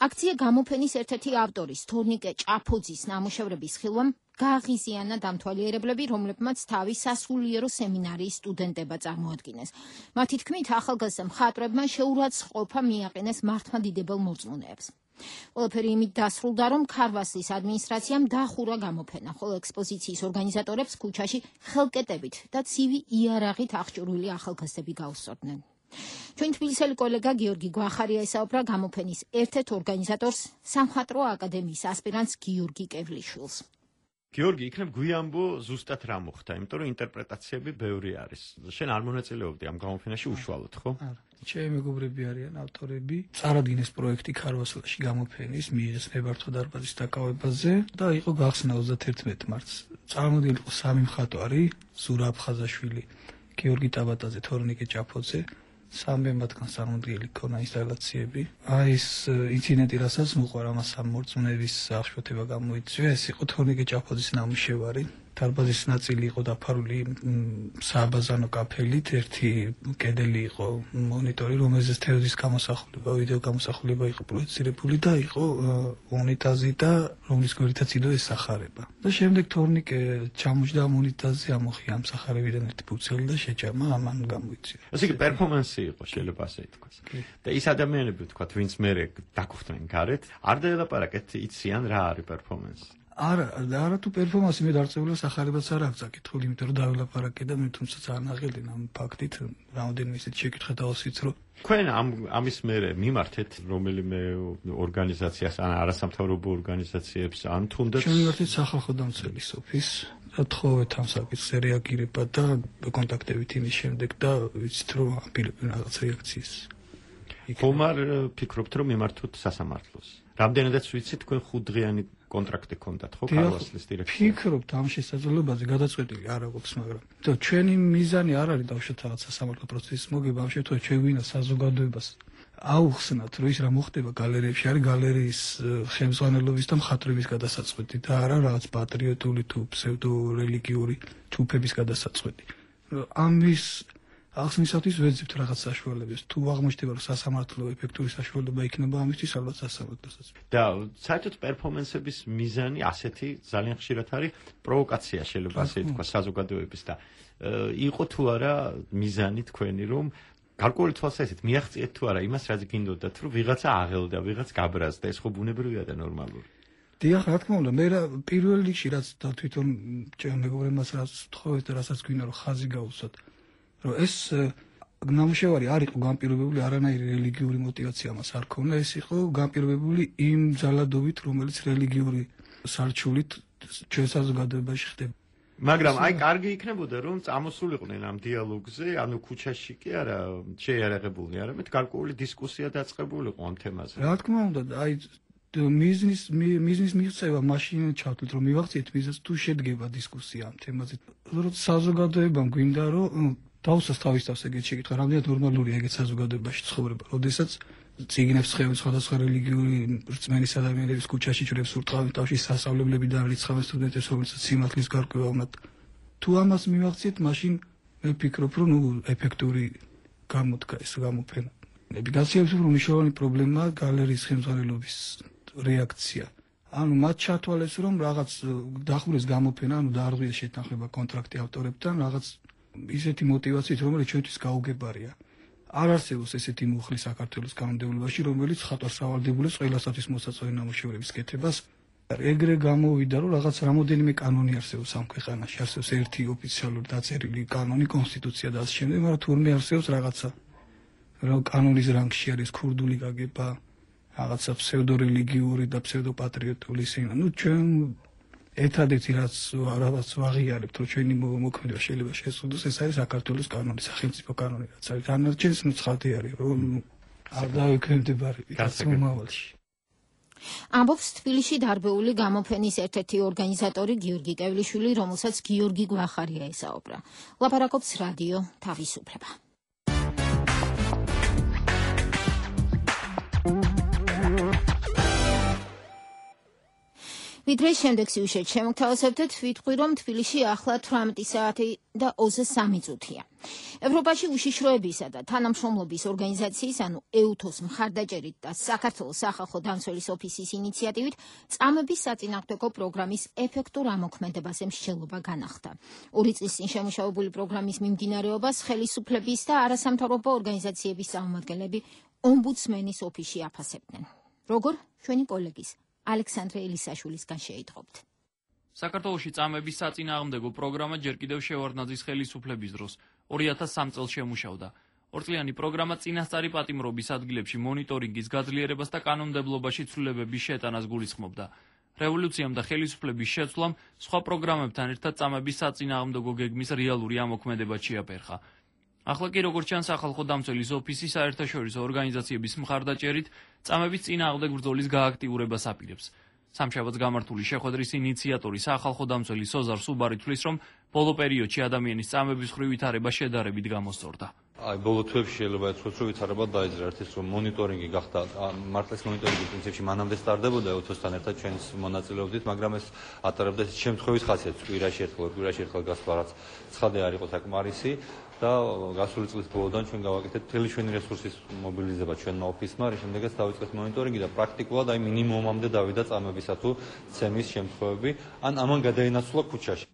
აქცია გამოფენის ერთ-ერთი ავტორის, თორნიკე ჭაფოძის ნამუშევრების ხილვამ გააღიზიანა დამთვალიერებლები, რომლებმაც თავი სასულიერო სემინარიის სტუდენტება წარმოადგინეს. მათი თქმით, ახალგაზრდა მხატვრებმა შეურაცხყოფა მიაყენეს მართლმადიდებელ მორწმუნეებს. ყველაფერი იმით დასრულდა, რომ ქარვასლის ადმინისტრაციამ დახურა გამოფენა, ხოლო ექსპოზიციის ორგანიზატორებს ქუჩაში ხელკეტებით და ცივი იარაღით აღჭურვილი ახალგაზრდები გაუსწორდნენ. ჩვენ თბილისელი კოლეგა გიორგი გვახარია ესაუბრა გამოფენის ერთ-ერთ ორგანიზატორს, სამხატვრო აკადემიის ასპირანტს გიორგი კევლიშვილს. გიორგი, იქნებ გვიამბო ზუსტად რა მოხდა, იმიტომ რომ ინტერპრეტაციები ბევრი არის. შენ არ მონაწილეობდი ამ გამოფენაში უშუალოდ, ხო? არა. ჩემი მეგობრები არიან ავტორები. წარადგინეს პროექტი ქარვასლაში გამოფენის ნებართვა დარბაზის დაკავებაზე და იყო გახსნა ოცდაათერთმეტ მარტს. წარმოდგენილი იყო სამი მხატვარი, ზურაბ ხაზაშვილი, გიორგი ტაბატაძე, თორნიკე ჭაფოძე. სამი მათგანს წარმოდგენილი ქონა ინსტალაციები. აი ეს ინციდენტი, რასაც მოყვა, ამას ამ მორწმუნეების აღშფოთება გამოიწვია, ეს იყო თორნიკე ჭაფოძის ნამუშევარი. დარბაზის ნაწილი იყო დაფარული სააბაზანო კაფელით, ერთი კედელი იყო მონიტორი, რომელზეც თევზის გამოსახულება, ვიდეო გამოსახულება იყო პროექცირებული და იყო უნიტაზი და რომლის გვერდითაც იდო ეს სახარება. და შემდეგ თორნიკე ჩამოჯდა ამ უნიტაზზე, ამოხია ამ სახარებიდან ერთი ფუცელი და შეჭამა, ამან გამოიწვია. ასე იგი პერფორმანსი იყო, შეიძლება ასე ითქვას. და ის ადამიანები ვთქვათ, ვინც მე დაგხვდნენ გარეთ, არ დაელაპარაკეთ, იციან რა არის პერფორმანსი. არა, არა თუ პერფორმანსი მე დარწმუნებული სახარებაც არ აქვს აკითხული, იმიტომ რომ დაველაპარაკე და მე თუმცა ძალიან აღელდენ ამ ფაქტით, რამდენიმე ისეთი შეკითხა დავასვით, რომ თქვენ ამ ამის მერე მიმართეთ რომელიმე ორგანიზაციას, ან არასამთავრობო ორგანიზაციებს, ან თუნდაც ჩვენ მიმართეთ სახალხო დამცველის ოფისს, თხოვეთ ამ საკითხზე რეაგირება და კონტაქტებით იმის შემდეგ და ვიცით რომ აპირებენ რაღაც რეაქციის. ხომ არ ფიქრობთ რომ მიმართოთ სასამართლოს? რამდენადაც ვიცით თქვენ ხუთდღიანი კონტრაქტი ქონდათ ხო ქარვასლის დირექტორს? ფიქრობთ ამ შესაძლებლობაზე გადაწყვეტილი არ აქვს, მაგრამ თო ჩვენი მიზანი არ არის დავშოთ რაღაც სასამართლო პროცესის მოგება, ამ შემთხვევაში ჩვენ ვინა საზოგადოებას აუხსნათ, რომ ის რა მოხდება გალერეებში, არის გალერეის ხელმძღვანელობის და მხატვრების გადასაწყვეტი და არა რაღაც პატრიოტული თუ ფსევდორელიგიური ჯგუფების გადასაწყვეტი. ამის ახსნისათვის ვეძებთ რაღაც საშუალებებს. თუ აღმოჩნდება რომ სასამართლო ეფექტური საშუალება იქნება ამისთვის, ალბათ სასამართლოსაც. და საერთოდ პერფორმანსების მიზანი ასეთი ძალიან ხშირად არის პროვოკაცია, შეიძლება ასე ითქვას, საზოგადოების და იყო თუ არა მიზანი თქვენი რომ გარკვეული თვალსაზრისით მიაღწიეთ თუ არა იმას, რაც გინდოდათ, რომ ვიღაცა აღელდა, ვიღაც გაბრაზდა, ეს ხო ბუნებრივია და ნორმალური. დიახ, რა თქმა უნდა, მე პირველ რიგში რაც და თვითონ ჩემ მეგობრებმაც რაც ვთხოვეთ და რასაც გვინდა რომ ხაზი გაუსვათ, რომ ეს ნამუშევარი არ იყო განპირობებული არანაირი რელიგიური მოტივაცია მას არ ქონდა, ეს იყო განპირობებული იმ ძალადობით, რომელიც რელიგიური სარჩულით ჩვენ საზოგადოებაში ხდება. მაგრამ აი კარგი იქნებოდა რომ წამოსულიყვნენ ამ დიალოგზე, ანუ ქუჩაში კი არა შეიარაღებული, არამედ გარკვეული დისკუსია დაწყებულიყო ამ თემაზე. რა თქმა უნდა, აი მიზნის მიზნის მიღწევა მაშინ ჩავთვლით რომ მივახციეთ მიზანს თუ შედგება დისკუსია ამ თემაზე. რომ საზოგადოებამ გვინდა რომ დავუსვას თავის თავს ეგეთ შეკითხვა, რამდენად ნორმალურია ეგეთ საზოგადოებაში ცხოვრება, როდესაც წიგნებს ხედავთ სხვადასხვა რელიგიური რწმენის ადამიანების ქუჩაში ჭრებს ურტყავენ თავში სასწავლებლებიდან რიცხავენ სტუდენტებს, რომელსაც სიმართლის გარკვევა უნდათ. თუ ამას მივახციეთ, მაშინ მე ვფიქრობ, რომ ნუ ეფექტური გამოდგა ეს გამოფენა. ნებიგაციების უფრო მნიშვნელოვანი პრობლემაა გალერეის ხელმძღვანელობის რეაქცია. ანუ მათ ჩათვალეს, რომ რაღაც დახურეს გამოფენა, ანუ დაარღვიეს შეთანხმება კონტრაქტი ავტორებთან, რაღაც ისეთი მოტივაციით, რომელიც ჩვენთვის გაუგებარია. არ არსებობს ესეთი მუხლი საქართველოს კანონმდებლობაში, რომელიც ხატავს სავალდებულებს ყველასათვის მოსაწვევი ნამუშევრების კეთებას. ეგრე გამოვიდა, რომ რაღაც რამოდენიმე კანონი არსებობს ამ ქვეყანაში, არსებობს ერთი ოფიციალური დაწერილი კანონი, კონსტიტუცია და ასე შემდეგ, მაგრამ თურმე არსებობს რაღაცა, რომ კანონის რანგში არის ქურდული გაგება, რაღაცა ფსევდორელიგიური და ფსევდოპატრიოტული სინა. ნუ ჩვენ ერთადერთი რაც რაღაც ვაღიარებთ, რომ ჩვენი მოქმედება შეიძლება შეზღუდოს, ეს არის საქართველოს კანონი, სახელმწიფო კანონი, რაც არის. განარჩენს ნუ ცხადია არის, რომ არ დავექვემდებარებით მომავალში. ამბობს თბილისში დარბეული გამოფენის ერთ-ერთი ორგანიზატორი გიორგი კევლიშვილი, რომელსაც გიორგი გვახარია ესაუბრა. ლაპარაკობს რადიო თავისუფლება. ვიდრე შემდეგ სიუჟეტ შემოგთავაზებთ, ვიტყვი რომ თბილისში ახლა თვრამეტი საათი და ოცდაორი წუთია. ევროპაში უშიშროებისა და თანამშრომლობის ორგანიზაციის, ანუ ეუთოს მხარდაჭერით და საქართველოს სახალხო დამცველის ოფისის ინიციატივით წამების საწინააღმდეგო პროგრამის ეფექტურ ამოქმედებაზე მსჯელობა განახდა. ორი წლის წინ შემუშავებული პროგრამის მიმდინარეობას ხელისუფლების და არასამთავრობო ორგანიზაციების წარმომადგენლები ომბუდსმენის ოფისში აფასებდნენ. როგორ ჩვენი კოლეგის ალექსანდრე ელისაშვილისგან შეიტყობთ. საქართველოში წამების საწინააღმდეგო პროგრამა ჯერ კიდევ შევარდნაძის ხელისუფლების დროს ორი ათას სამი წელს შემუშავდა. ორწლიანი პროგრამა წინასწარი პატიმრობის ადგილებში მონიტორინგის გაძლიერებას და კანონმდებლობაში ცვლილებების შეტანას გულისხმობდა. რევოლუციამ და ხელისუფლების შეცვლამ სხვა პროგრამებთან ერთად წამების საწინააღმდეგო გეგმის რეალური ამოქმედება შეაფერხა. ახლა კი როგორც ჩანს, სახალხო დამცველის ოფისი საერთაშორისო ორგანიზაციების მხარდაჭერით წამების წინააღმდეგ ბრძოლის გააქტიურებას აპირებს. სამშაბათს გამართული შეხვედრის ინიციატორი სახალხო დამცველი სოზარ სუბარი თვლის, რომ ბოლო პერიოდში ადამიანის წამების მხრივ ვითარება შედარებით გამოსწორდა. აი ბოლო თვეებში შეიძლება ეთქვას, რომ ვითარებად დაიძრა ერთის რომ მონიტორინგი გახდა, მართლაც მონიტორინგი პრინციპში მანამდე სტარდებოდა ეთოსთან ერთად ჩვენს მონაწილეობდით, მაგრამ ეს ატარებდა ეს შემთხვევის ხასიათს, კვირაში ერთხელ, კვირაში ერთხელ გასვლა, რაც ცხადე არ იყო საკმარისი და გასული წლის ბოლოდან ჩვენ გავაკეთეთ მთელი ჩვენი რესურსის მობილიზება ჩვენმა ოფისმა, რის შემდეგაც დავიწყეთ მონიტორინგი და პრაქტიკულად აი მინიმუმამდე დავიდა წამებისა თუ ცემის შემთხვევები, ან ამან გადაინაცვლა ქუჩაში.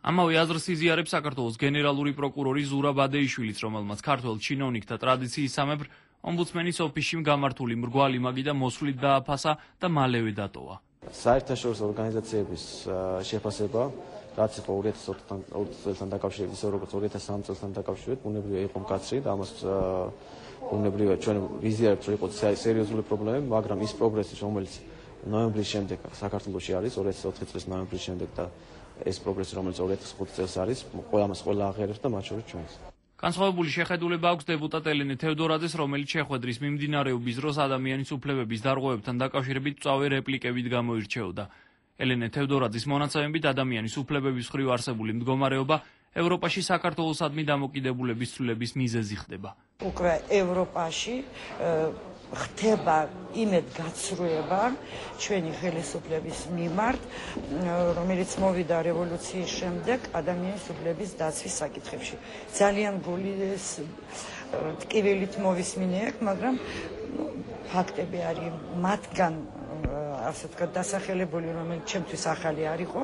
ამავე აზრს იზიარებს საქართველოს გენერალური პროკურორი ზურაბ ადეიშვილიც, რომელმაც ქართველ ჩინოვნიკთა ტრადიციისამებრ ომბუდსმენის ოფისში გამართული მრგვალი მაგიდა მოსვლით დააფასა და მალევე დატოვა. საერთაშორისო ორგანიზაციების შეფასება, რაც იყო ორი ათას ოთხ წელთან დაკავშირებით, ისე როგორც ორი ათას სამი წელთან დაკავშირებით, ბუნებრივია იყო მკაცრი და ამას ბუნებრივია ჩვენ ვიზიარებთ, რომ იყო სერიოზული პრობლემები, მაგრამ ის პროგრესი, რომელიც ნოემბრის შემდეგ საქართველოში არის, ორი ათას ოთხი წლის ნოემბრის შემდეგ და ეს პროგრესი, რომელიც ორი ათას ხუთი წელს არის, ყველამას ყველა აღიარებს და მათ შორის ჩვენს. განსხვავებული შეხედულება აქვს დეპუტატ ელენე თევდორაძეს, რომელიც შეხვედრის მიმდინარეობის დროს ადამიანის უფლებების დარღვევებთან დაკავშირებით მწვავე რეპლიკებით გამოირჩეოდა. ელენე თევდორაძის მონაცემებით ადამიანის უფლებების მხრივ არსებული მდგომარეობა ევროპაში საქართველოსადმი დამოკიდებულების ცვლილების მიზეზი ხდება. უკვე ევროპაში ხდება იმედ გაცრუება ჩვენი ხელისუფლების მიმართ, რომელიც მოვიდა რევოლუციის შემდეგ ადამიანის უფლების დაცვის საკითხებში. ძალიან გული ტკივილით მოვისმინე აქ, მაგრამ ფაქტები არის მათგან ასე ვთქვათ დასახელებული, რომელიც ჩემთვის ახალი არ იყო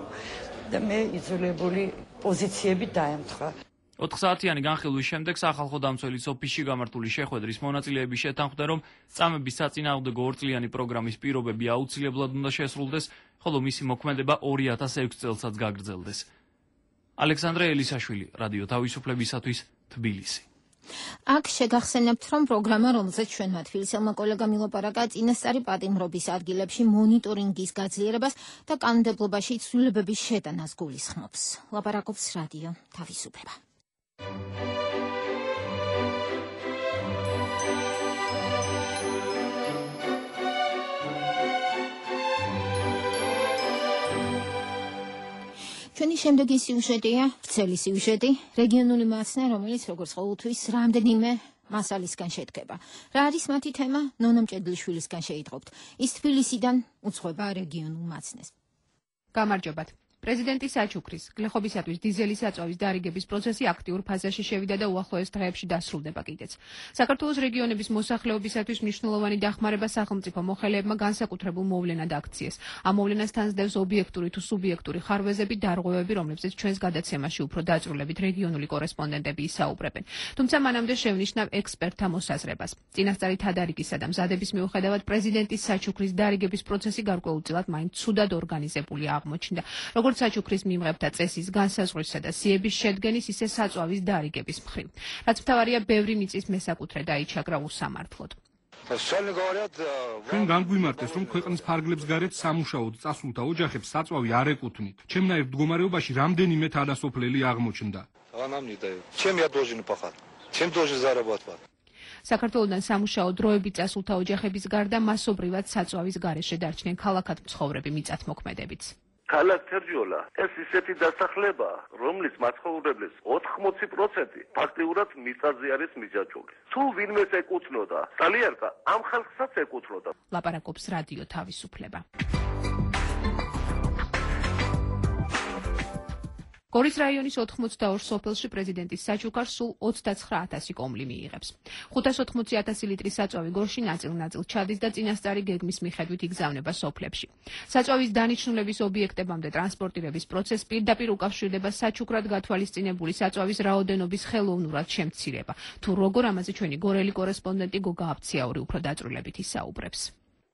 და მე იძულებული პოზიციები დაემთხვა. ოთხ საათიანი განხილვის შემდეგ სახალხო დამცველის ოფისში გამართული შეხვედრის მონაწილეები შეთანხმდნენ, რომ წამების საწინააღმდეგო ორწლიანი პროგრამის პირობები აუცილებლად უნდა შესრულდეს, ხოლო მისი მოქმედება ორი ათას ექვსი წელსაც გაგრძელდეს. ალექსანდრე ელისაშვილი, რადიო თავისუფლებისათვის, თბილისი. აქ შეგახსენებთ, რომ პროგრამა, რომელზეც ჩვენმა თბილისელმა კოლეგამ ილაპარაკა, წინასწარი პატიმრობის ადგილებში მონიტორინგის გაძლიერებას და კანონმდებლობაში ცვლილებების შეტანას გულისხმობს. ლაპარაკობს რადიო თავისუფლება. ჩვენი შემდეგი სიუჟეტია, ვრცელი სიუჟეტი, რეგიონული მაცნე, რომელიც როგორც ყოველთვის რამდენიმე მასალისგან შედგება. რა არის მათი თემა? ნონა მჭედლიშვილისგან შეიტყობთ. ის თბილისიდან უძღვება რეგიონულ მაცნეს. გამარჯობათ. პრეზიდენტი საჩუქრის გლეხობისათვის დიზელის აწვავის დარიგების პროცესი აქტიურ ფაზაში შევიდა და უახლოეს დღეებში დასრულდება კიდეც. საქართველოს რეგიონების მოსახლეობისათვის მნიშვნელოვანი დახმარება სახელმწიფო მოხელეებმა განსაკუთრებულ მოვლენად აქციეს. ამ მოვლენას თანსდევს ობიექტური თუ სუბიექტური ხარვეზები, დარღვევები, რომლებზეც ჩვენს გადაცემაში უფრო დაწვრილებით რეგიონული კორესპონდენტები ისაუბრებენ. თუმცა მანამდე შევნიშნავ ექსპერტთა მოსაზრებას. წინასწარი თადარიგისა და მზადების მიუხედავად პრეზიდენტის საჩუქრის დარიგების პროცესი გარკვეულწილად მაინც ცუდად ორგანიზებული აღმოჩნდა. როგორც საჩუქრის მიმღებთა წესის განსაზღვრისა და სიების შედგენის, ისე საწვავის დარიგების მხრივ. რაც მთავარია, ბევრი მიწის მესაკუთრე დაიჩაგრა უსამართლოდ. ჩვენ განგვიმარტეს, რომ ქვეყნის ფარგლებს გარეთ სამუშაოდ წასულთა ოჯახებს საწვავი არ ეკუთვნით. ჩემნაირ მდგომარეობაში რამდენიმე თანასოფლელი აღმოჩნდა. საქართველოდან სამუშაო დროებით წასულთა ოჯახების გარდა მასობრივად საწვავის გარეშე დარჩნენ ქალაქად მცხოვრები მიწათმოქმედებიც. ქალაქ თერჯოლა ეს ისეთი დასახლება, რომლის მაცხოვრებლის ოთხმოცი პროცენტი ფაქტიურად მიწაზე არის მიჯაჭვული. თუ ვინმეს ეკუთვნოდა, სალიერკა ამ ხალხსაც ეკუთვნოდა. ლაპარაკობს რადიო თავისუფლება. გორის რაიონის ოთხმოცდაორ სოფელში პრეზიდენტის საჩუქარს სულ ოცდაცხრა ათასი კომლი მიიღებს. ხუთას ოცდაოთხ ათასი ლიტრი საწვავი გორში ნაწილ-ნაწილ ჩადის და წინასწარი გეგმის მიხედვით იგზავნება სოფლებში. საწვავის დანიშნულების ობიექტებამდე ტრანსპორტირების პროცესს პირდაპირ უკავშირდება საჩუქრად გათვალისწინებული საწვავის რაოდენობის ხელოვნურად შემცირება. თუ როგორ, ამაზე ჩვენი გორელი კორესპონდენტი გოგა აბციაური უფრო დაწვრილებით ისაუბრებს.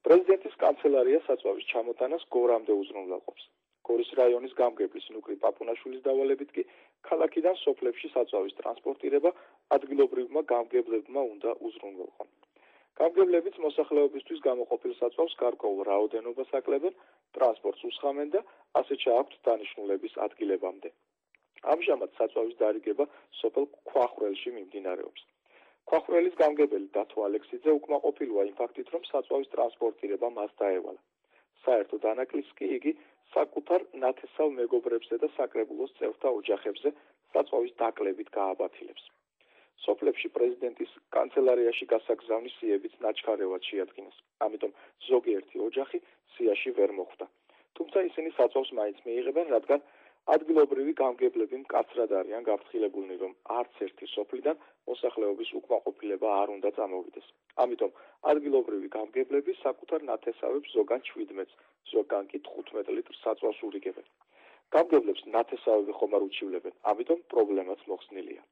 პრეზიდენტის კანცელარია საწვავის ჩამოტანას გორამდე უზრუნველყოფს. გორის რაიონის გამგებლის ნუკრი პაპუნაშვილის დავალებით კი ქალაქიდან სოფლებში საწვავის ტრანსპორტირება ადგილობრივმა გამგებლებმა უნდა უზრუნველყონ. გამგებლებიც მოსახლეობისთვის გამოყოფილ საწვავს გარკვეულ რაოდენობას აკლებენ, ტრანსპორტს უსხამენ და ასე ჩააქვთ დანიშნულების ადგილებამდე. ამჟამად საწვავის დარიგება სოფელ ქვახრელში მიმდინარეობს. ქვახრელის გამგებელი დათო ალექსიძე უკმაყოფილოა იმ ფაქტით, რომ საწვავის ტრანსპორტირება მას დაევალა. საერთო დანაკლისს კი იგი საკუთარ ნათესავ მეგობრებზე და საკრებულოს წევრთა ოჯახებზე საწვავის დაკლებით გააბათილებს. სოფლებში პრეზიდენტის კანცელარიაში გასაგზავნის სიებიც ნაჩქარევად შეადგინეს. ამიტომ ზოგიერთი ოჯახი სიაში ვერ მოხვდა. თუმცა ისინი საწვავს მაინც მიიღებენ, რადგან ადგილობრივი გამგებლები მკაცრად არიან გაფრთხილებულნი, რომ არც ერთი სოფლიდან მოსახლეობის უკმაყოფილება არ უნდა წამოვიდეს. ამიტომ ადგილობრივი გამგებლები საკუთარ ნათესავებს ზოგან შვიდმეტს, ზოგან კი თხუთმეტ ლიტრს საწვავს ურიგებენ. გამგებლებს ნათესავები ხომ არ უჩივლებენ, ამიტომ პრობლემაც მოხსნილია.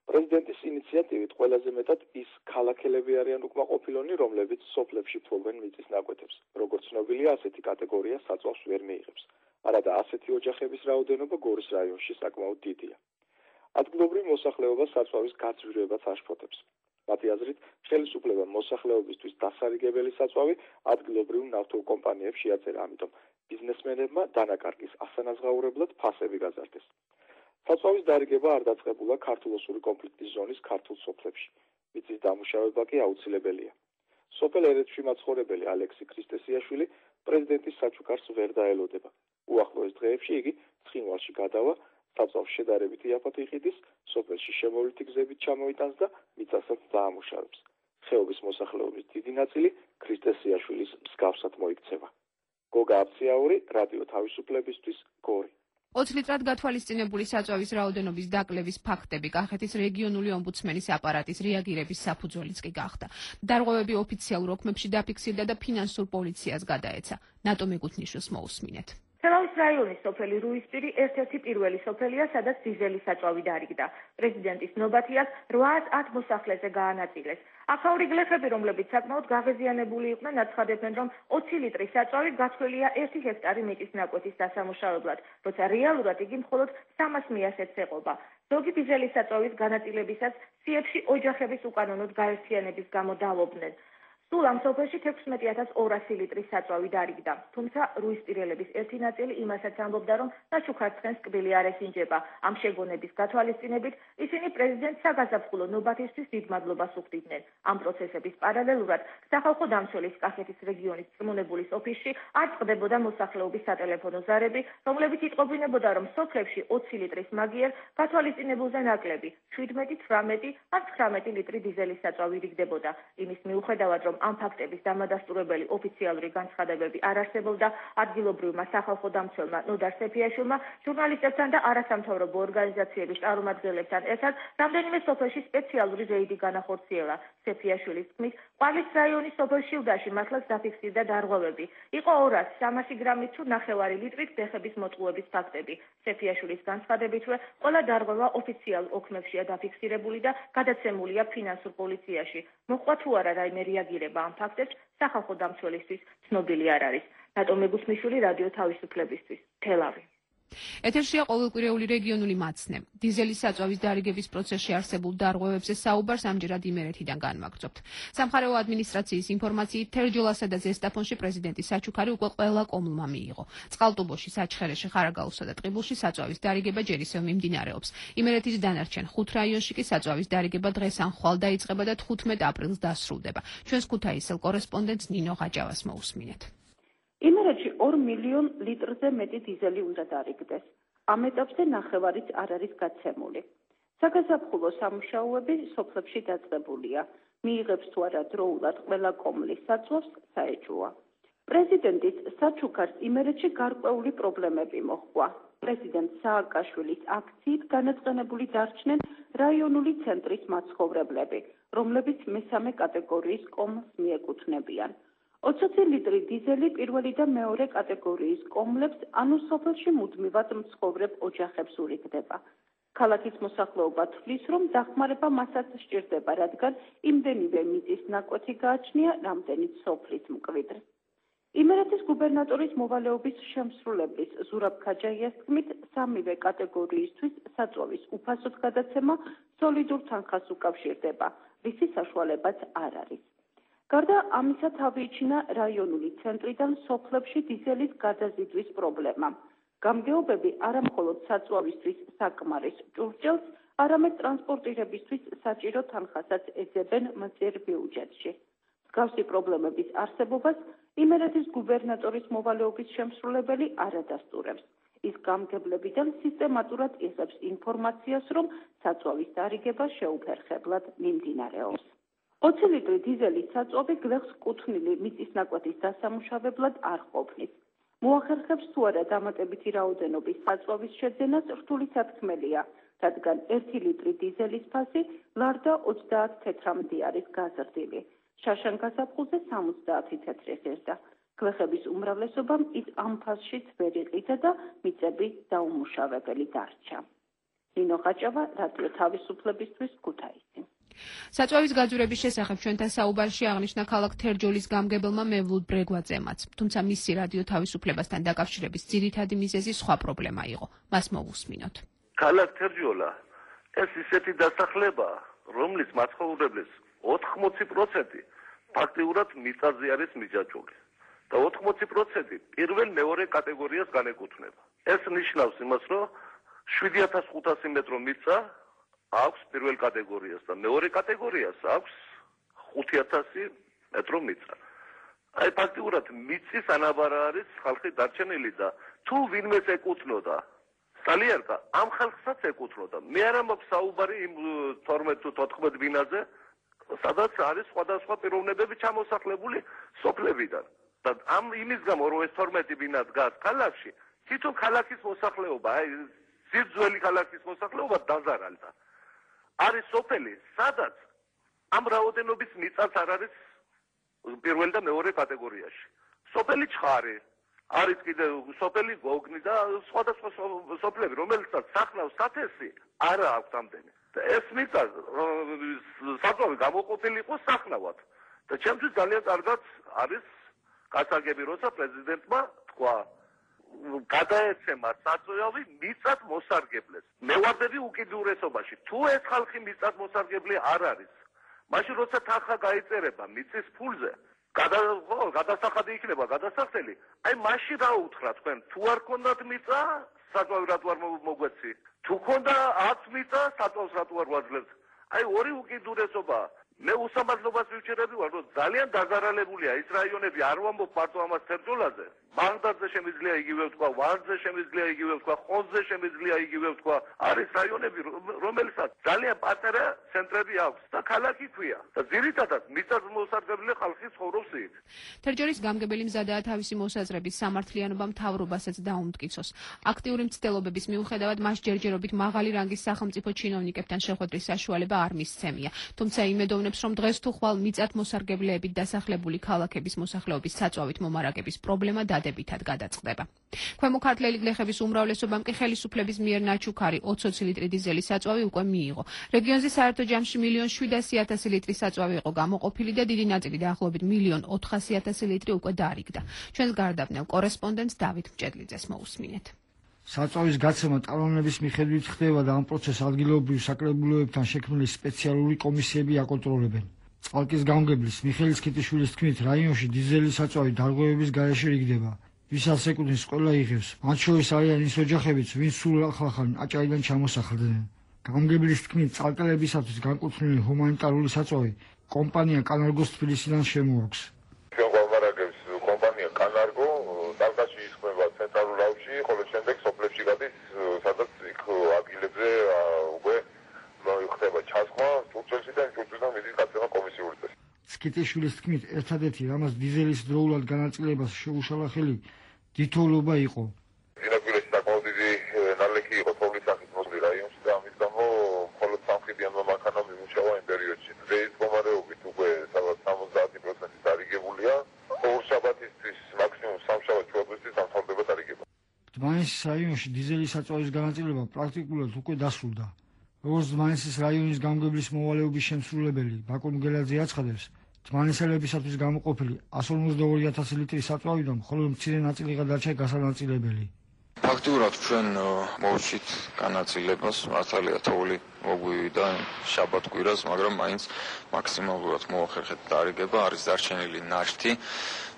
პრეზიდენტის ინიციატივით ყველაზე მეტად ის ქალაქელები არიან უკმაყოფილონი, რომლებიც სოფლებში ფლობენ მიწის ნაკვეთებს. როგორც ცნობილია, ასეთი კატეგორია საწვავს ვერ მიიღებს. არადა ასეთი ოჯახების რაოდენობა გორის რაიონში საკმაოდ დიდია. ადგილობრივ მოსახლეობას საწვავის გაძვირებაც აშფოთებს. მათი აზრით, ხელისუფლებამ მოსახლეობისთვის დასარიგებელი საწვავი ადგილობრივ ნავთობ კომპანიებს შეაწერა, ამიტომ ბიზნესმენებმა დანაკარგის ასანაზღაურებლად ფასები გაზარდეს. საწვავის დარიგება არ დაწყებულა ქართულ-ოსური კონფლიქტის ზონის ქართულ სოფლებში. მიწის დამუშავება კი აუცილებელია. სოფელ ერეთში მაცხოვრებელი ალექსი ქრისტესიაშვილი პრეზიდენტის საჩუქარს ვერ დაელოდება. უახლოეს დღეებში იგი ცხინვალში გადავა, საწვავს შედარებით იაფად იყიდის, სოფელში შემოვლითი გზებით ჩამოიტანს და მიწასაც დაამუშავებს. ხეობის მოსახლეობის დიდი ნაწილი ქრისტესიაშვილის მსგავსად მოიქცევა. გოგა აბციაური, რადიო თავისუფლებისთვის, გორი. ოცი litrად გათვალისწინებული საწვავის რაოდენობის დაკლების ფაქტები კახეთის რეგიონული ომბუდსმენის აპარატის რეაგირების საფუძველიც კი გახდა. დარღვევები ოფიციალურ ოქმებში დაფიქსირდა და ფინანსურ პოლიციას გადაეცა. ნატო მეგუთნიშვილს მოусმინეთ. თელავის რაიონის სოფელი რუისპირი ერთ-ერთი პირველი სოფელია, სადაც დიზელის საწვავი დარიგდა. პრეზიდენტის ნობათიას რვაას ათ მოსახლეზე გაანაწილეს. აქაური გლეხები, რომლებიც საკმაოდ გაღეზიანებული იყვნენ, აცხადებენ, რომ ოცი ლიტრის საწვავი გათვლილია ერთი ჰექტარი მიწის ნაკვეთის დასამუშავებლად, როცა რეალურად იგი მხოლოდ სამას მიასეთს ეყობა. ზოგი დიზელის საწვავის განაწილებისას სიებში ოჯახების უკანონოდ გაერთიანების გამო დავობდნენ. სულ ამ სოფელში თექვსმეტი ათას ორასი ლიტრის საწვავი დარიგდა, თუმცა რუისპირელების ერთი ნაწილი იმასაც ამბობდა, რომ ნაჩუქარცხენს კბილი არ ესინჯება. ამ შეგონების გათვალისწინებით ისინი პრეზიდენტს საგაზაფხულო ნობათისთვის დიდ მადლობას უხდიდნენ. ამ პროცესების პარალელურად სახალხო დამცველის კახეთის რეგიონის წრმუნებულის ოფისში არ წყდებოდა მოსახლეობის სატელეფონო ზარები, რომლებიც იტყობინებოდა, რომ სოფლებში ოცი ლიტრის მაგიერ გათვალისწინებულზე ნაკლები შვიდმეტი, თვრამეტი ან ცხრამეტი ლიტრი დიზელის საწვავი რიგდებოდა. იმის მიუხედავად, რომ ამ ფაქტების დამადასტურებელი ოფიციალური განცხადებები არ არსებობდა, ადგილობრივმა სახალხო დამცველმა ნოდარ სეფიაშვილმა ჟურნალისტებთან და არასამთავრობო ორგანიზაციების წარმომადგენლებთან ერთად რამდენიმე სოფელში სპეციალური რეიდი განახორციელა. სეფიაშვილის თქმით, ყვალის რაიონის სოფელ შილდაში მართლაც დაფიქსირდა დარღვევები. იყო ორასი სამასი გრამით თუ ნახევარი litrით ბეხების მოტყუების ფაქტები. სეფიაშვილის განცხადებითვე, ყველა დარღვევა ოფიციალურ ოქმებშია დაფიქსირებული და გადაცემულია ფინანსურ პოლიციაში. მოხდა თუ არა რაიმე რეაგირება ამ ფაქტებს სახალხო დამცველისთვის ცნობილი არ არის. ნატო მეგუთმიშვილი რადიო თავისუფლებისთვის, თელავი. ეთერშია ყოველკვირეული რეგიონული მაცნე. დიზელის საწვავის დარიგების პროცესში არსებულ დარღვევებზე საუბარს ამჯერად იმერეთიდან განვაგრძობთ. სამხარეო ადმინისტრაციის ინფორმაციით თერჯოლასა და ზესტაფონში პრეზიდენტის საჩუქარი უკვე ყველა კომლმა მიიღო. წყალტუბოში, საჩხერეში, ხარაგაულსა და ტყიბულში საწვავის დარიგება ჯერ ისევ მიმდინარეობს. იმერეთის დანარჩენ ხუთ რაიონში კი საწვავის დარიგება დღეს ან ხვალ დაიწყება და თხუთმეტ აპრილს დასრულდება. ჩვენს ქუთაისელ კორესპონდენტს ნინო ღაჯავას მოусმინეთ. იმერეთში ორ მილიონ ლიტრზე მეტი დიზელი უნდა დარიგდეს. ამ ეტაპზე ნახევარიც არ არის გაცემული. საგაზაფხულო სამუშაოები სოფლებში დაწყებულია. მიიღებს თუ არა დროულად ყველა კომლის საწვავს საეჭვოა. პრეზიდენტის საჩუქარს იმერეთში გარკვეული პრობლემები მოჰყვა. პრეზიდენტ სააკაშვილის აქციით განაწყენებული დარჩნენ რაიონული ცენტრის მაცხოვრებლები, რომლებიც მესამე კატეგორიის კომს მიეკუთვნებიან. ოცი ლიტრი დიზელი პირველი და მეორე კატეგორიის კომლებს, ანუ სოფელში მუდმივად მცხოვრებ ოჯახებს ურიგდება. ქალაქის მოსახლეობა თვლის, რომ დახმარება მასაც სჭირდება, რადგან იმდენივე მიწის ნაკვეთი გააჩნია, რამდენიც სოფლის მკვიდრს. იმერეთის გუბერნატორის მოვალეობის შემსრულებლის ზურაბ ქაჯაიას თქმით, სამივე კატეგორიისთვის საწვავის უფასოდ გადაცემა სოლიდურ თანხას უკავშირდება, რისი საშუალებაც არ არის. გარდა ამისა თავიიჩინა რაიონული ცენტრიდან სოფლებში დიზელის გადაზიდვის პრობლემა. გამგეობები არა მხოლოდ საწვავისთვის საკმარის ჭურჭელს, არამედ ტრანსპორტირებისთვის საჭირო თანხასაც ეძებენ მწირ ბიუჯეტში. მსგავსი პრობლემების არსებობას იმერეთის გუბერნატორის მოვალეობის შემსრულებელი არ ადასტურებს. ის გამგებლებიდან სისტემატურად იღებს ინფორმაციას, რომ საწვავის დარიგება შეუფერხებლად მიმდინარეობს. ოცი ლიტრი დიზელის საწვავი გლეხს კუთვნილი მიწის ნაკვეთის დასამუშავებლად არ ყოფნის. მოახერხებს თუ არა დამატებითი რაოდენობის საწვავის შეძენას რთული სათქმელია, რადგან ერთი ლიტრი დიზელის ფასი ლარდა ოცდაათ თეთრამდე არის გაზრდილი. შაშან გაზაფხულზე სამოცდაათი თეთრი ღირდა. გლეხების უმრავლესობამ ის ამ ფასშიც ვერ იყიდა და მიწები დაუმუშავებელი დარჩა. ნინო ხაჭავა, რადიო თავისუფლებისთვის, ქუთაისი. საწვავის გაძვირების შესახებ ჩვენთან საუბარში აღნიშნა ქალაქ თერჯოლის გამგებელმა მევლუდ ბრეგვაძემაც, თუმცა მისი რადიო თავისუფლებასთან დაკავშირების ძირითადი მიზეზი სხვა პრობლემა იყო. მას მოვუსმინოთ. ქალაქ თერჯოლა ეს ისეთი დასახლებაა, რომლის მაცხოვრებლის ოთხმოცი პროცენტი ფაქტიურად მიწაზე არის მიჯაჭვული და ოთხმოცი პროცენტი პირველ მეორე კატეგორიას განეკუთვნება. ეს ნიშნავს იმას, რომ შვიდი ათას ხუთასი მეტრო მიწა აქვს პირველ კატეგორიას და მეორე კატეგორიას აქვს ხუთი ათასი მეტრო მიწა. აი ფაქტიურად მიწის ანაბარა არის ხალხი დარჩენილი და თუ ვინმეს ეკუთვნოდა სალიერკა ამ ხალხსაც ეკუთვნოდა. მე არ მაქვს საუბარი იმ თორმეტ თუ თოთხმეტ ბინაზე, სადაც არის სხვადასხვა პიროვნებები ჩამოსახლებული სოფლებიდან. და ამ იმის გამო რომ ეს თორმეტი ბინა დგას ქალაქში, თვითონ ქალაქის მოსახლეობა, აი ძირძველი ქალაქის მოსახლეობა დაზარალდა. არის სოფელი, სადაც ამ რაოდენობის მიწაც არ არის პირველ და მეორე კატეგორიაში. სოფელი ჩხარი, არის კიდე სოფელი გოგნი და სხვადასხვა სოფლები, რომელსაც სახნავს სათესი არა აქვს ამდენი. და ეს მიწა საწვავი გამოყოფილი იყო სახნავად. და ჩემთვის ძალიან კარგად არის გასაგები, როცა პრეზიდენტმა თქვა გადაეცემა საწვავი მიწად მოსარგებლეს. მე ვარდები უკიდურესობაში. თუ ეს ხალხი მიწად მოსარგებლე არ არის, მაშინ როცა თანხა გაიწერება მიწის ფულზე, გადასახადი იქნება გადასახდელი, აი მაშინ რა უთხრა თქვენ, თუ არ გქონდათ მიწა, საწვავი რატო არ მოგვეცი? თუ გქონდა ათ მიწა, საწვავს რატო არ ვაძლევთ? აი ორი უკიდურესობა. მე უსამართლობას ვიჩერები ვარ, რომ ძალიან დაზარალებულია ის რაიონები, არ ვამბობ მარტო ამას თერჯოლაზე. ბაღდადზე შემიძლია იგივე ვთქვა, ვარძზე შემიძლია იგივე ვთქვა, ხონზე შემიძლია იგივე ვთქვა. არის რაიონები, რომელსაც ძალიან პატარა ცენტრები აქვს და ქალაქი ქვია. და ძირითადად მიწას მოსარგებლე ხალხი ცხოვრობს იქ. თერჯოლის გამგებელი მზადაა თავისი მოსაზრების სამართლიანობა მთავრობასაც დაუმტკიცოს. აქტიური მცდელობების მიუხედავად მას ჯერჯერობით მაღალი რანგის სახელმწიფო ჩინოვნიკებთან შეხვედრის საშუალება არ მისცემია. თუმცა იმედოვნებს, რომ დღეს თუ ხვალ მიწათ მოსარგებლეებით დასახლებული ქალაქების მოსახლეობის საწვავით მომარაგების პრობლემა დადებითად გადაწყდება. ქვემო ქართლელი გლეხების უმრავლესობამ კი ხელისუფლების მიერ ნაჩუქარი ოცი ლიტრი დიზელის საწვავი უკვე მიიღო. რეგიონზე საერთო ჯამში მილიონ შვიდასი ათასი ლიტრი საწვავი იყო გამოყოფილი და დიდი ნაწილი დაახლოებით მილიონ ოთხასი ათასი ლიტრი უკვე დაარიგდა. ჩვენს გარდაბნელ კორესპონდენტს დავით მჭედლიძეს მოусმინეთ. საწვავის გაცემა ტალონების მიხედვით ხდება და ამ პროცესს ადგილობრივ საკრებულოებთან შექმნილი სპეციალური კომისიები აკონტროლებენ. წყალკის გამგებლის მიხეილ ქიტიშვილის თქმით, რაიონში დიზელის საწვავი დარღვევების გარეშე რიგდება. ვისაც ეკუთვნის ყველა იღებს. მათ შორის არიან ის ოჯახებიც, ვინც სულ ახალ აჭარიდან ჩამოსახლდნენ. გამგებლის თქმით, წყალკელებისათვის განკუთვნილი ჰუმანიტარული საწვავი კომპანია კანარგოს თბილისიდან შემოაქვს. ჩვენ გვამარაგებს კომპანია კანარგო, ტალკაში ისხმება ცენტრალურ აუზში, ხოლო შემდეგ სოფლებში გადის, სადაც იქ ადგილებზე უკვე ხდება ჩასხმა, სტრუქტურიდან სტრუქტურიდან მიდის გაცემა კომისიური წესი. ქიტიშვილის თქმით, ერთადერთი რამაც დიზელის დროულად განაწილებას შეუშალა ხელი თითოეულობა იყო. დინაკვირაში საკმაოდ დიდი ნალექი იყო თოვლის სახით მოსული რაიონში და ამის გამო მხოლოდ სამხედრიანმა მანქანამ იმუშავა იმ პერიოდში. დღეს მდგომარეობით უკვე სადღაც სამოცდაათი პროცენტი დარიგებულია. ორშაბათისთვის მაქსიმუმ სამშაბათ ჩვეულებრივ სამთავრდება დარიგება. დმანისის რაიონში დიზელის საწვავის განაწილება პრაქტიკულად უკვე დასრულდა. როგორც დმანისის რაიონის გამგებლის მოვალეობის შემსრულებელი ბაკო მგელაძე აცხადებს, დმანისელებისათვის გამოყოფილი εκατს ორმოცდაორი ათასი ლიტრი საწვავიდან მხოლოდ მცირე ნაწილი გადარჩა გასანაწილებელი. ფაქტიურად ჩვენ მოვშით განაწილებას, მართალია თოვლი მოგვივიდა შაბათ კვირას, მაგრამ მაინც მაქსიმალურად მოახერხეთ დარიგება, არის დარჩენილი ნაშთი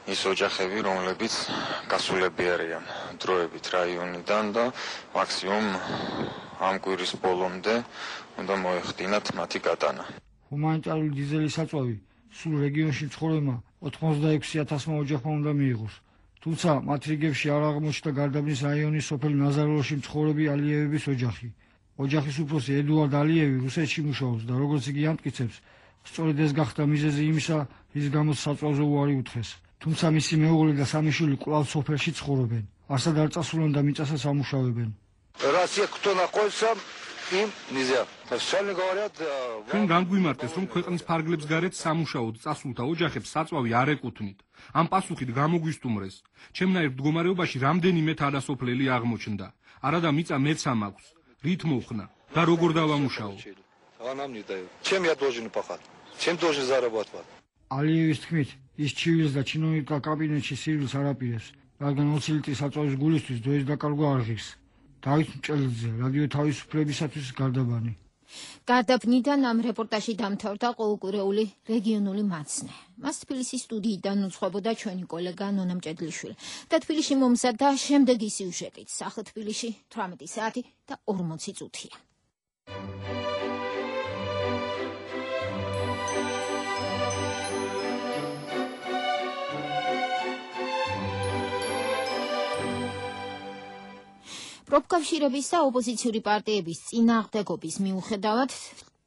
ის ოჯახები, რომლებიც გასულები არიან დროებით რაიონიდან და მაქსიმუმ ამ კვირის ბოლომდე უნდა მოეხდინათ მათი გატანა. ჰუმანიტარული დიზელის საწვავი სულ რეგიონში მცხოვრებმა ოცდაექვსი ათასმა ოჯახმა უნდა მიიღოს. თუმცა მათ რიგებში არ აღმოჩნდა გარდაბნის რაიონის სოფელ ნაზაროლოში მცხოვრები ალიევების ოჯახი. ოჯახის უფროსი ედუარდ ალიევი რუსეთში მუშაობს და როგორც იგი ამტკიცებს, სწორედ ეს გახდა მიზეზი იმისა, რის გამოც საწვავზე უარი უთხრეს. თუმცა მისი მეუღლე და სამი შვილი კვლავ სოფელში ცხოვრობენ. არსად არ წასულან და მიწასაც ამუშავებენ. Россия кто находится, им нельзя. Официально говорят, ჩვენ განგვიმარტეს, რომ ქვეყნის ფარგლებს გარეთ სამუშაოდ წასულთა ოჯახებს საწვავი არ ეკუთვნით. ამ პასუხით გამოგვისტუმრეს. ჩემნაირ მდგომარეობაში რამდენიმე თავდასოფლელი აღმოჩნდა. არადა მიწა მეც ამაქვს. რით მოხნა და როგორ დავამუშაო? Она мне дает. Чем я должен пахать? Чем должен зарабатывать? ალიევის თქმით, ის ჩივილს და ჩინოვნიკთა კაბინეტში სირვილს არ აპირებს, რადგან ოცი ლიტრის საწვავის გულისთვის დროის დაკარგვა არ ღირს. დავით მჭელიძე, რადიო თავისუფლებისათვის გარდაბანი. გარდაბნიდან ამ რეპორტაჟი დამთავრდა ყოველკვირეული რეგიონული მაცნე. მას თბილისის სტუდიიდან უძღვებოდა ჩვენი კოლეგა ნონა მჭედლიშვილი. და თბილისში მომზადდა შემდეგი სიუჟეტით. სახე თბილისში თვრამეტი საათი და ორმოცი წუთია. პროფკავშირების და ოპოზიციური პარტიების წინააღმდეგობის მიუხედავად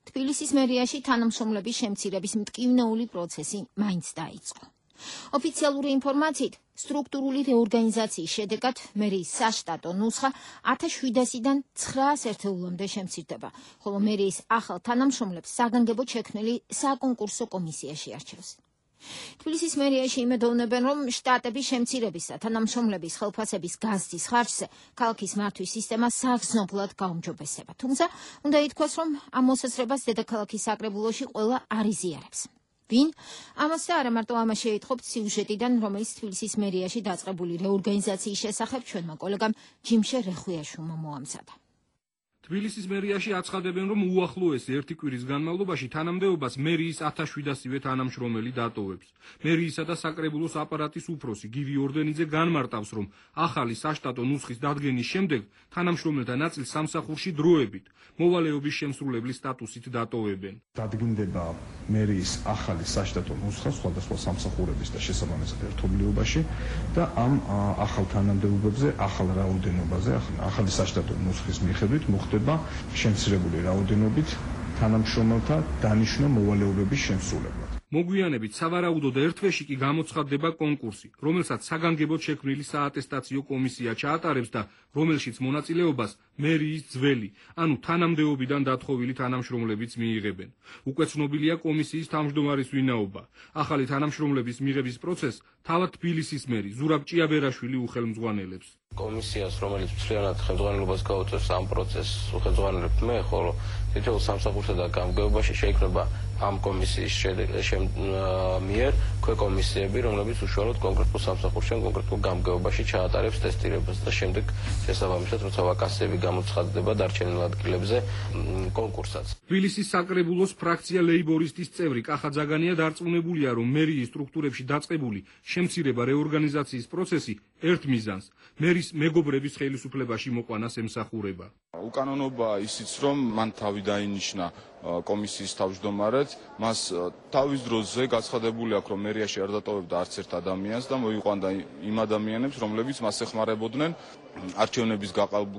თბილისის მერიაში თანამშრომლების შემცირების მტკივნეული პროცესი მაინც დაიწყო. ოფიციალური ინფორმაციით, სტრუქტურული რეორგანიზაციის შედეგად მერიის საშტატო ნუსხა ათას შვიდასიდან ცხრაას ერთეულამდე შემცირდება, ხოლო მერიის ახალ თანამშრომლებს საგანგებოდ შექმნილი საკონკურსო კომისიაში არჩევს. თბილისის მერიაში იმედოვნებენ, რომ შტატების შემცირების და თანამშრომლების ხელფასების გაზრდის ხარჯზე ქალაქის მართვის სისტემა საგრძნობლად გაუმჯობესება. თუმცა, უნდა ითქვას, რომ ამ მოსაზრებას დედაქალაქის საკრებულოში ყველა არ იზიარებს. ვინ? ამას და არა მარტო ამას შეიტყობთ სიუჟეტიდან, რომელიც თბილისის მერიაში დაწყებული რეორგანიზაციის შესახებ ჩვენმა კოლეგამ ჯიმშე რეხვიაშვილმა მოამზადა. თბილისის მერიაში აცხადებენ, რომ უახლოეს ერთი კვირის განმავლობაში თანამდებობას მერიის ათას შვიდასივე თანამშრომელი დატოვებს. მერიისა და საკრებულოს აპარატის უფროსი გივი ორდენიძე განმარტავს, რომ ახალი საშტატო ნუსხის დადგენის შემდეგ თანამშრომელთა ნაწილს სამსახურში დროებით მოვალეობის შემსრულებლის სტატუსით დატოვებენ. დადგინდება მერიის ახალი საშტატო ნუსხა სხვადასხვა სამსახურების და შესაბამისად ერთობლიობაში და ამ ახალ თანამდებობებზე, ახალ რაოდენობაზე, ახალი საშტატო ნუსხის მიხედვით მოხდება შემცირებული რაოდენობით თანამშრომელთა დანიშვნა მოვალეობების შემსრულებლად. მოგვიანებით სავარაუდოდ ერთ თვეში კი გამოცხადდება კონკურსი, რომელსაც საგანგებოდ შექმნილი საატესტაციო კომისია ჩაატარებს და რომელშიც მონაწილეობას მერიის ძველი, ანუ თანამდებობიდან დათხოვილი თანამშრომლებიც მიიღებენ. უკვე ცნობილია კომისიის თავმჯდომარის ვინაობა. ახალი თანამშრომლების მიღების პროცესს თავად თბილისის მერი ზურაბ ჭიაბერაშვილი უხელმძღვანელებს. კომისიას, რომელიც მთლიანად ხელმძღვანელობას გაუწევს ამ პროცესს, უხელმძღვანელებ მე, ხოლო თითოეულ სამსახურსა და გამგეობაში შეიქმნება ამ კომისიის მიერ ქვეკომისიები, რომლებიც უშუალოდ კონკრეტულ სამსახურში ან კონკრეტულ გამგეობაში ჩაატარებს ტესტირებას და შემდეგ შესაბამისად, როცა ვაკანსიები გამოცხადდება დარჩენილ ადგილებზე კონკურსაც. თბილისის საკრებულოს ფრაქცია ლეიბორისტის წევრი კახა ძაგანია დარწმუნებულია, რომ მერიის სტრუქტურებში დაწყებული შემცირება რეორგანიზაციის პროცესი ერთ მიზანს მერის მეგობრების ხელისუფლებაში მოყვანას ემსახურება. უკანონობა ისიც, რომ მან თავი დაინიშნა კომისიის თავმჯდომარედ, მას თავის დროზე გაცხადებული აქვს, რომ მერიაში არ დატოვებდა არც ერთ ადამიანს და მოიყვანდა იმ ადამიანებს, რომლებიც მას ეხმარებოდნენ არჩევნების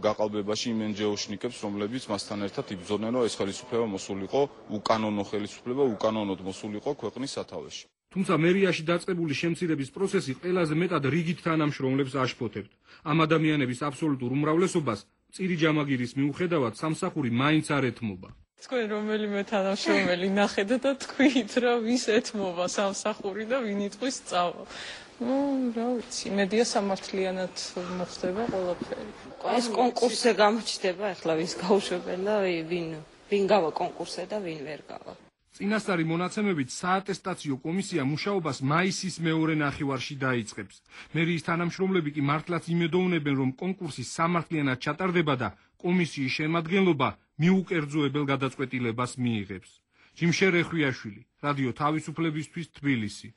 გაყალბებაში იმ ენჯეოშნიკებს, რომლებიც მასთან ერთად იბრძოდნენ, რომ ეს ხელისუფლება მოსულიყო, უკანონო ხელისუფლება უკანონოდ მოსულიყო ქვეყნის სათავეში. თუმცა მერიაში დაწყებული შემცირების პროცესი ყველაზე მეტად რიგით თანამშრომლებს აშფოთებთ. ამ ადამიანების აბსოლუტურ უმრავლესობას წირი ჯამაგირის მიუხედავად სამსახური მაინც არ ეთმობა. თქვენ რომელიმე თანამშრომელი ნახეთ და თქვით, რომ ვის ეთმობა სამსახური და ვინ იტყვის სწავლა. ნუ, რა ვიცი, მედია სამართლიანად მოხდება ყველაფერი. ეს კონკურსზე გამოჩნდება, ახლა ვის გაუშვებენ და ვინ ვინ გავა კონკურსზე და ვინ ვერ გავა. წინასწარი მონაცემებით საატესტაციო კომისია მუშაობას მაისის მეორე ნახევარში დაიწყებს. მერიის თანამშრომლები კი მართლაც იმედოვნებენ, რომ კონკურსი სამართლიანად ჩატარდება და კომისიის შემადგენლობა მიუკერძოებელ გადაწყვეტილებას მიიღებს. ჯიმშე რეხვიაშვილი, რადიო თავისუფლებისთვის, თბილისი.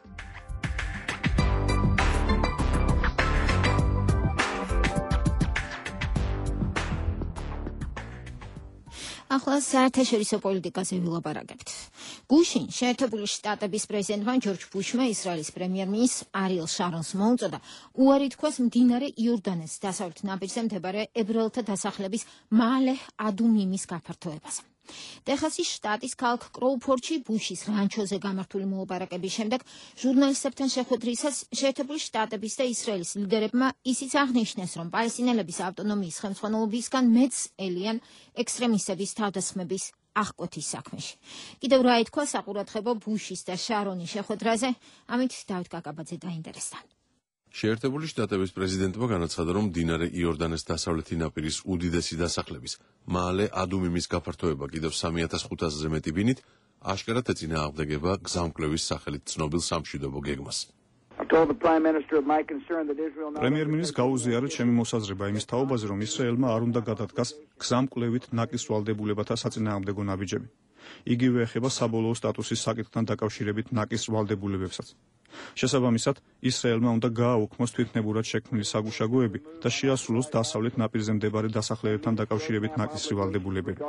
ახლა საერთაშორისო პოლიტიკაზე ვილაპარაკებთ. გუშინ შეერთებული შტატების პრეზიდენტმა ჯორჯ ბუშმა ისრაელის პრემიერ-მინისტრ არიელ შარონს მოუწოდა უარი თქვას მდინარე იორდანეს დასავლეთ ნაპირზე მდებარე ებრაელთა დასახლების მალე ადუმიმის გაფართოებაზე. ტეხასის შტატის ქალაქ კროუფორდში ბუშის რანჩოზე გამართული მოლაპარაკების შემდეგ ჟურნალისტებთან შეხვედრისას შეერთებული შტატების და ისრაელის ლიდერებმა ისიც აღნიშნეს, რომ პალესტინელების ავტონომიის ხელმძღვანელობისგან მეც ელიან ექსტრემისტების თავდასხმების აღკვეთის საქმეში. კიდევ რა ითქვა საყურადღებო ბუშის და შარონის შეხვედრაზე, ამით დავით კაკაბაძე დაინტერესდა. შეერთებული შტატების პრეზიდენტმა განაცხადა, რომ მდინარე იორდანეს დასავლეთი ნაპირის უდიდესი დასახლების მალე ადუმიმის გაფართოება კიდევ სამი ათას ხუთასზე მეტი ბინით აშკარად ეწინააღმდეგება გზამკვლევის სახელით ცნობილ სამშვიდობო გეგმას. პრემიერ-მინისტრს გაუზიარეთ ჩემი მოსაზრება იმის თაობაზე, რომ ისრაელმა არ უნდა გადადგას გზამკვლევით ნაკის ვალდებულებათა საწინააღმდეგო ნაბიჯები. იგივე ეხება საბოლოო სტატუსის საკითხთან დაკავშირებით ნაკის ვალდებულებებსაც. შესაბამისად, ისრაელმა უნდა გააუქმოს თვითნებურად შექმნილი საგუშაგოები და შეასრულოს დასავლეთ ნაპირზე მდებარე დასახლებებთან დაკავშირებით ნაკისრი ვალდებულებები.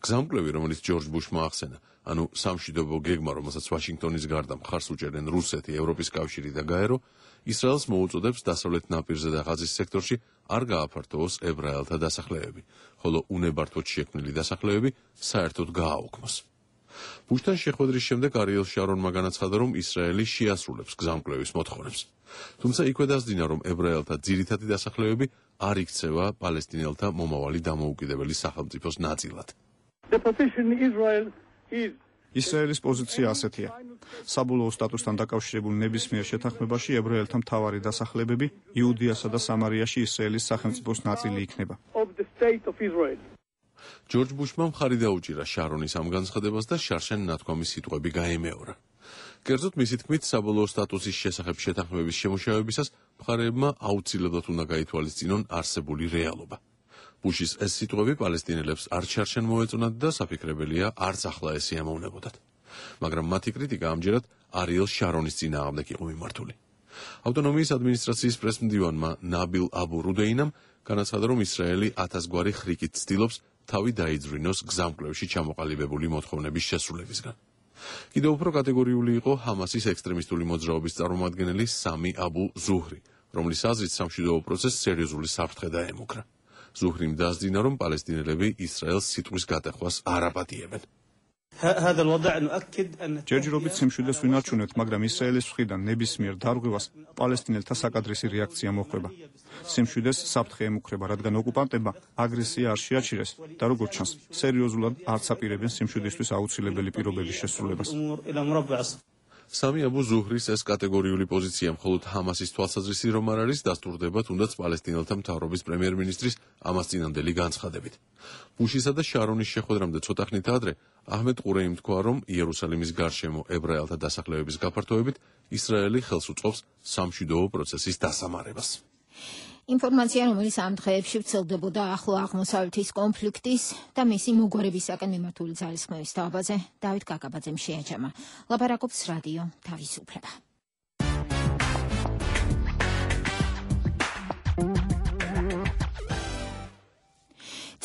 გზამკვლევი, რომელიც ჯორჯ ბუშმა ახსენა, ანუ სამშვიდობო გეგმა, რომელსაც ვაშინგტონის გარდა მხარს უჭერენ რუსეთი, ევროპის კავშირი და გაერო, ისრაელს მოუწოდებს დასავლეთ ნაპირზე და ღაზის სექტორში არ გააფართოვოს ებრაელთა დასახლებები, ხოლო უნებართვოდ შექმნილი დასახლებები საერთოდ გააუქმოს. ბუშთან შეხვედრის შემდეგ არიელ შარონმა განაცხადა, რომ ისრაელი შეასრულებს გზამკვლევის მოთხოვნებს. თუმცა იქვე დასძინა, რომ ებრაელთა ძირითადი დასახლებები არ იქცევა პალესტინელთა მომავალი დამოუკიდებელი სახელმწიფოს ნაწილად. ისრაელის პოზიცია ასეთია. საბოლოო სტატუსთან დაკავშირებულ ნებისმიერ შეთანხმებაში ებრაელთა მთავარი დასახლებები იუდეასა და სამარიაში ისრაელის სახელმწიფოს ნაწილი იქნება. ჯორჯ ბუშმა მხარი დაუჭირა შარონის ამ განცხადებას და შარშან ნათქვამის სიტყვები გაემეორა. კერძოდ მისი თქმით, საბოლოო სტატუსის შესახებ შეთანხმების შემუშავებისას მხარეებმა აუცილებლად უნდა გაითვალისწინონ არსებული რეალობა. ბუშის ეს სიტყვები პალესტინელებს არ შარშან მოეწონათ და საფიქრებელია არც ახლა ეს ემოვნებოდათ. მაგრამ მათი კრიტიკა ამჯერად არიელ შარონის წინააღმდეგ იყო მიმართული. ავტონომიის ადმინისტრაციის პრესმდივანმა ნაბილ აბუ რუდეინამ განაცხადა, რომ ისრაელი ათასგვარი ხრიკით ცდილობს თავი დაიძვრინოს გზამკვლევში ჩამოყალიბებული მოთხოვნების შესრულებისგან. კიდევ უფრო კატეგორიული იყო ჰამასის ექსტრემისტული მოძრაობის წარმომადგენელი სამი აბუ ზუჰრი, რომლის აზრით სამშვიდობო პროცესს სერიოზული საფრთხე დაემუქრა. ზუჰრიმ დასძინა, რომ პალესტინელები ისრაელს სიტყვის გატეხვას არ აპატიებენ. ჯერჯერობით სიმშვიდეს ვინარჩუნებთ, მაგრამ ისრაელის მხრიდან ნებისმიერ დარღვევას პალესტინელთა საკადრისი რეაქცია მოხვდება. სიმშვიდეს საფრთხე ემუქრება, რადგან ოკუპანტებმა აგრესია არ შეაჩერეს და როგორც ჩანს, სერიოზულად არც აპირებენ სიმშვიდისთვის აუცილებელი პირობების შესრულებას. სამი აბუ ზუჰრის ეს კატეგორიული პოზიცია მხოლოდ ჰამასის თვალსაზრისით რომ არ არის, დასტურდება თუნდაც პალესტინელთა მთავრობის პრემიერ-მინისტრის ამას წინანდელი განცხადებით. ბუშისა და შარონის შეხვედრამდე ცოტა ხნით ადრე აჰმედ ყურეიმ თქვა, რომ იერუსალიმის გარშემო ებრაელთა დასახლებების გაფართოებით ისრაელი ხელს უწყობს სამშვიდობო პროცესის დასამარებას. ინფორმაცია, რომელიც ამ დღეებში ვრცელდებოდა ახლო აღმოსავლეთის კონფლიქტის და მისი მოგვარებისაკენ მიმართული ძალისხმევის თაობაზე, დავით კაკაბაძემ შეაჩამა. ლაპარაკობს რადიო თავისუფლება.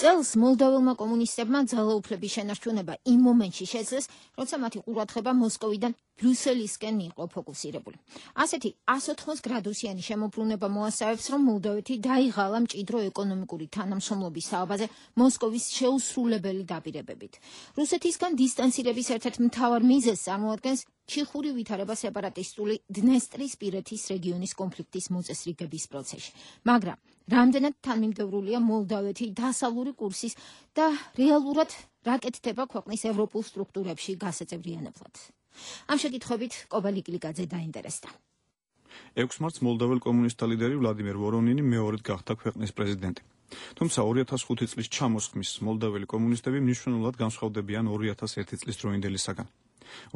წელს მოლდოველმა კომუნისტებმა ძალაუფლების შენარჩუნება იმ მომენტში შეძლეს, როცა მათი ყურადღება მოსკოვიდან ბრიუსელისკენ იყო ფოკუსირებული. ასეთი ას ოთხმოც გრადუსიანი შემოbrunება მოასწავებს, რომ მოლდოვეთი დაიღალა მჭიდრო ეკონომიკური თანამშრომლობის თაობაზე მოსკოვის შეუსრულებელი დაპირებებით. რუსეთისგან დისტანცირების ერთ-ერთ მთავარ მიზეზს წარმოადგენს ჩიხური ვითარება სეპარატისტული დნესტრისპირეთის რეგიონის კონფლიქტის მოწესრიგების პროცესში. მაგრამ რამდენად თანმიმდევრულია მოლდოვეთი დასავლური კურსის და რეალურად რა კეთდება ქვეყნის ევროპულ სტრუქტურებში გასაწევრიანებლად. ამ შეკითხვებით კობალი კილიკაძე დაინტერესდა. ექვსი მარტს მოლდოվել კომუნისტთა ლიდერი ვლადიმერ ვორონინი მეორედ გახდა ქვეყნის პრეზიდენტი. თუმცა ორი ათას ხუთი წლის ჩამოსხმის მოლდოველი კომუნისტები მნიშვნელოვნად განსხვავდებიან ორი ათას ერთი წლის დროინდელისაგან.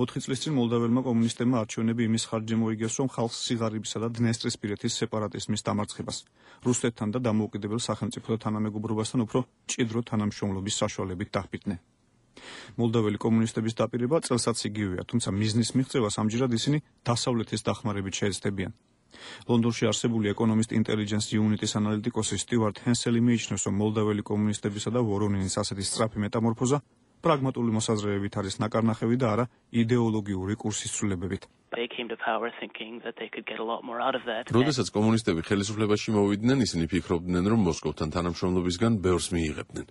ოთხი წლის წინ მოლდოველმა კომუნისტებმა არჩევნები იმის ხარჯზე მოიგეს, რომ ხალხს სიღარიბისა და დნესტრისპირეთის სეპარატიზმის დამარცხებას, რუსეთთან და დამოუკიდებელ სახელმწიფოთა თანამეგობრობასთან უფრო მჭიდრო თანამშრომლობის საშუალებით დაჰპირდნენ. მოლდოველი კომუნისტების დაპირება წელსაც იგივეა, თუმცა მიზნის მიღწევას ამჯერად ისინი დასავლეთის დახმარებით შეეცდებიან. ლონდონში არსებული ეკონომისტ ინტელიგენს იუნიტის ანალიტიკოსი სტივარტ ჰენსელი მიიჩნევს, რომ მოლდაველი კომუნისტებისა და ვორონინის ასეთი სწრაფი მეტამორფოზა პრაგმატული მოსაზრებებით არის ნაკარნახევი და არა იდეოლოგიური კურსის ცვლილებებით. როდესაც კომუნისტები ხელისუფლებაში მოვიდნენ, ისინი ფიქრობდნენ, რომ მოსკოვთან თანამშრომლობისგან ბევრს მიიღებდნენ.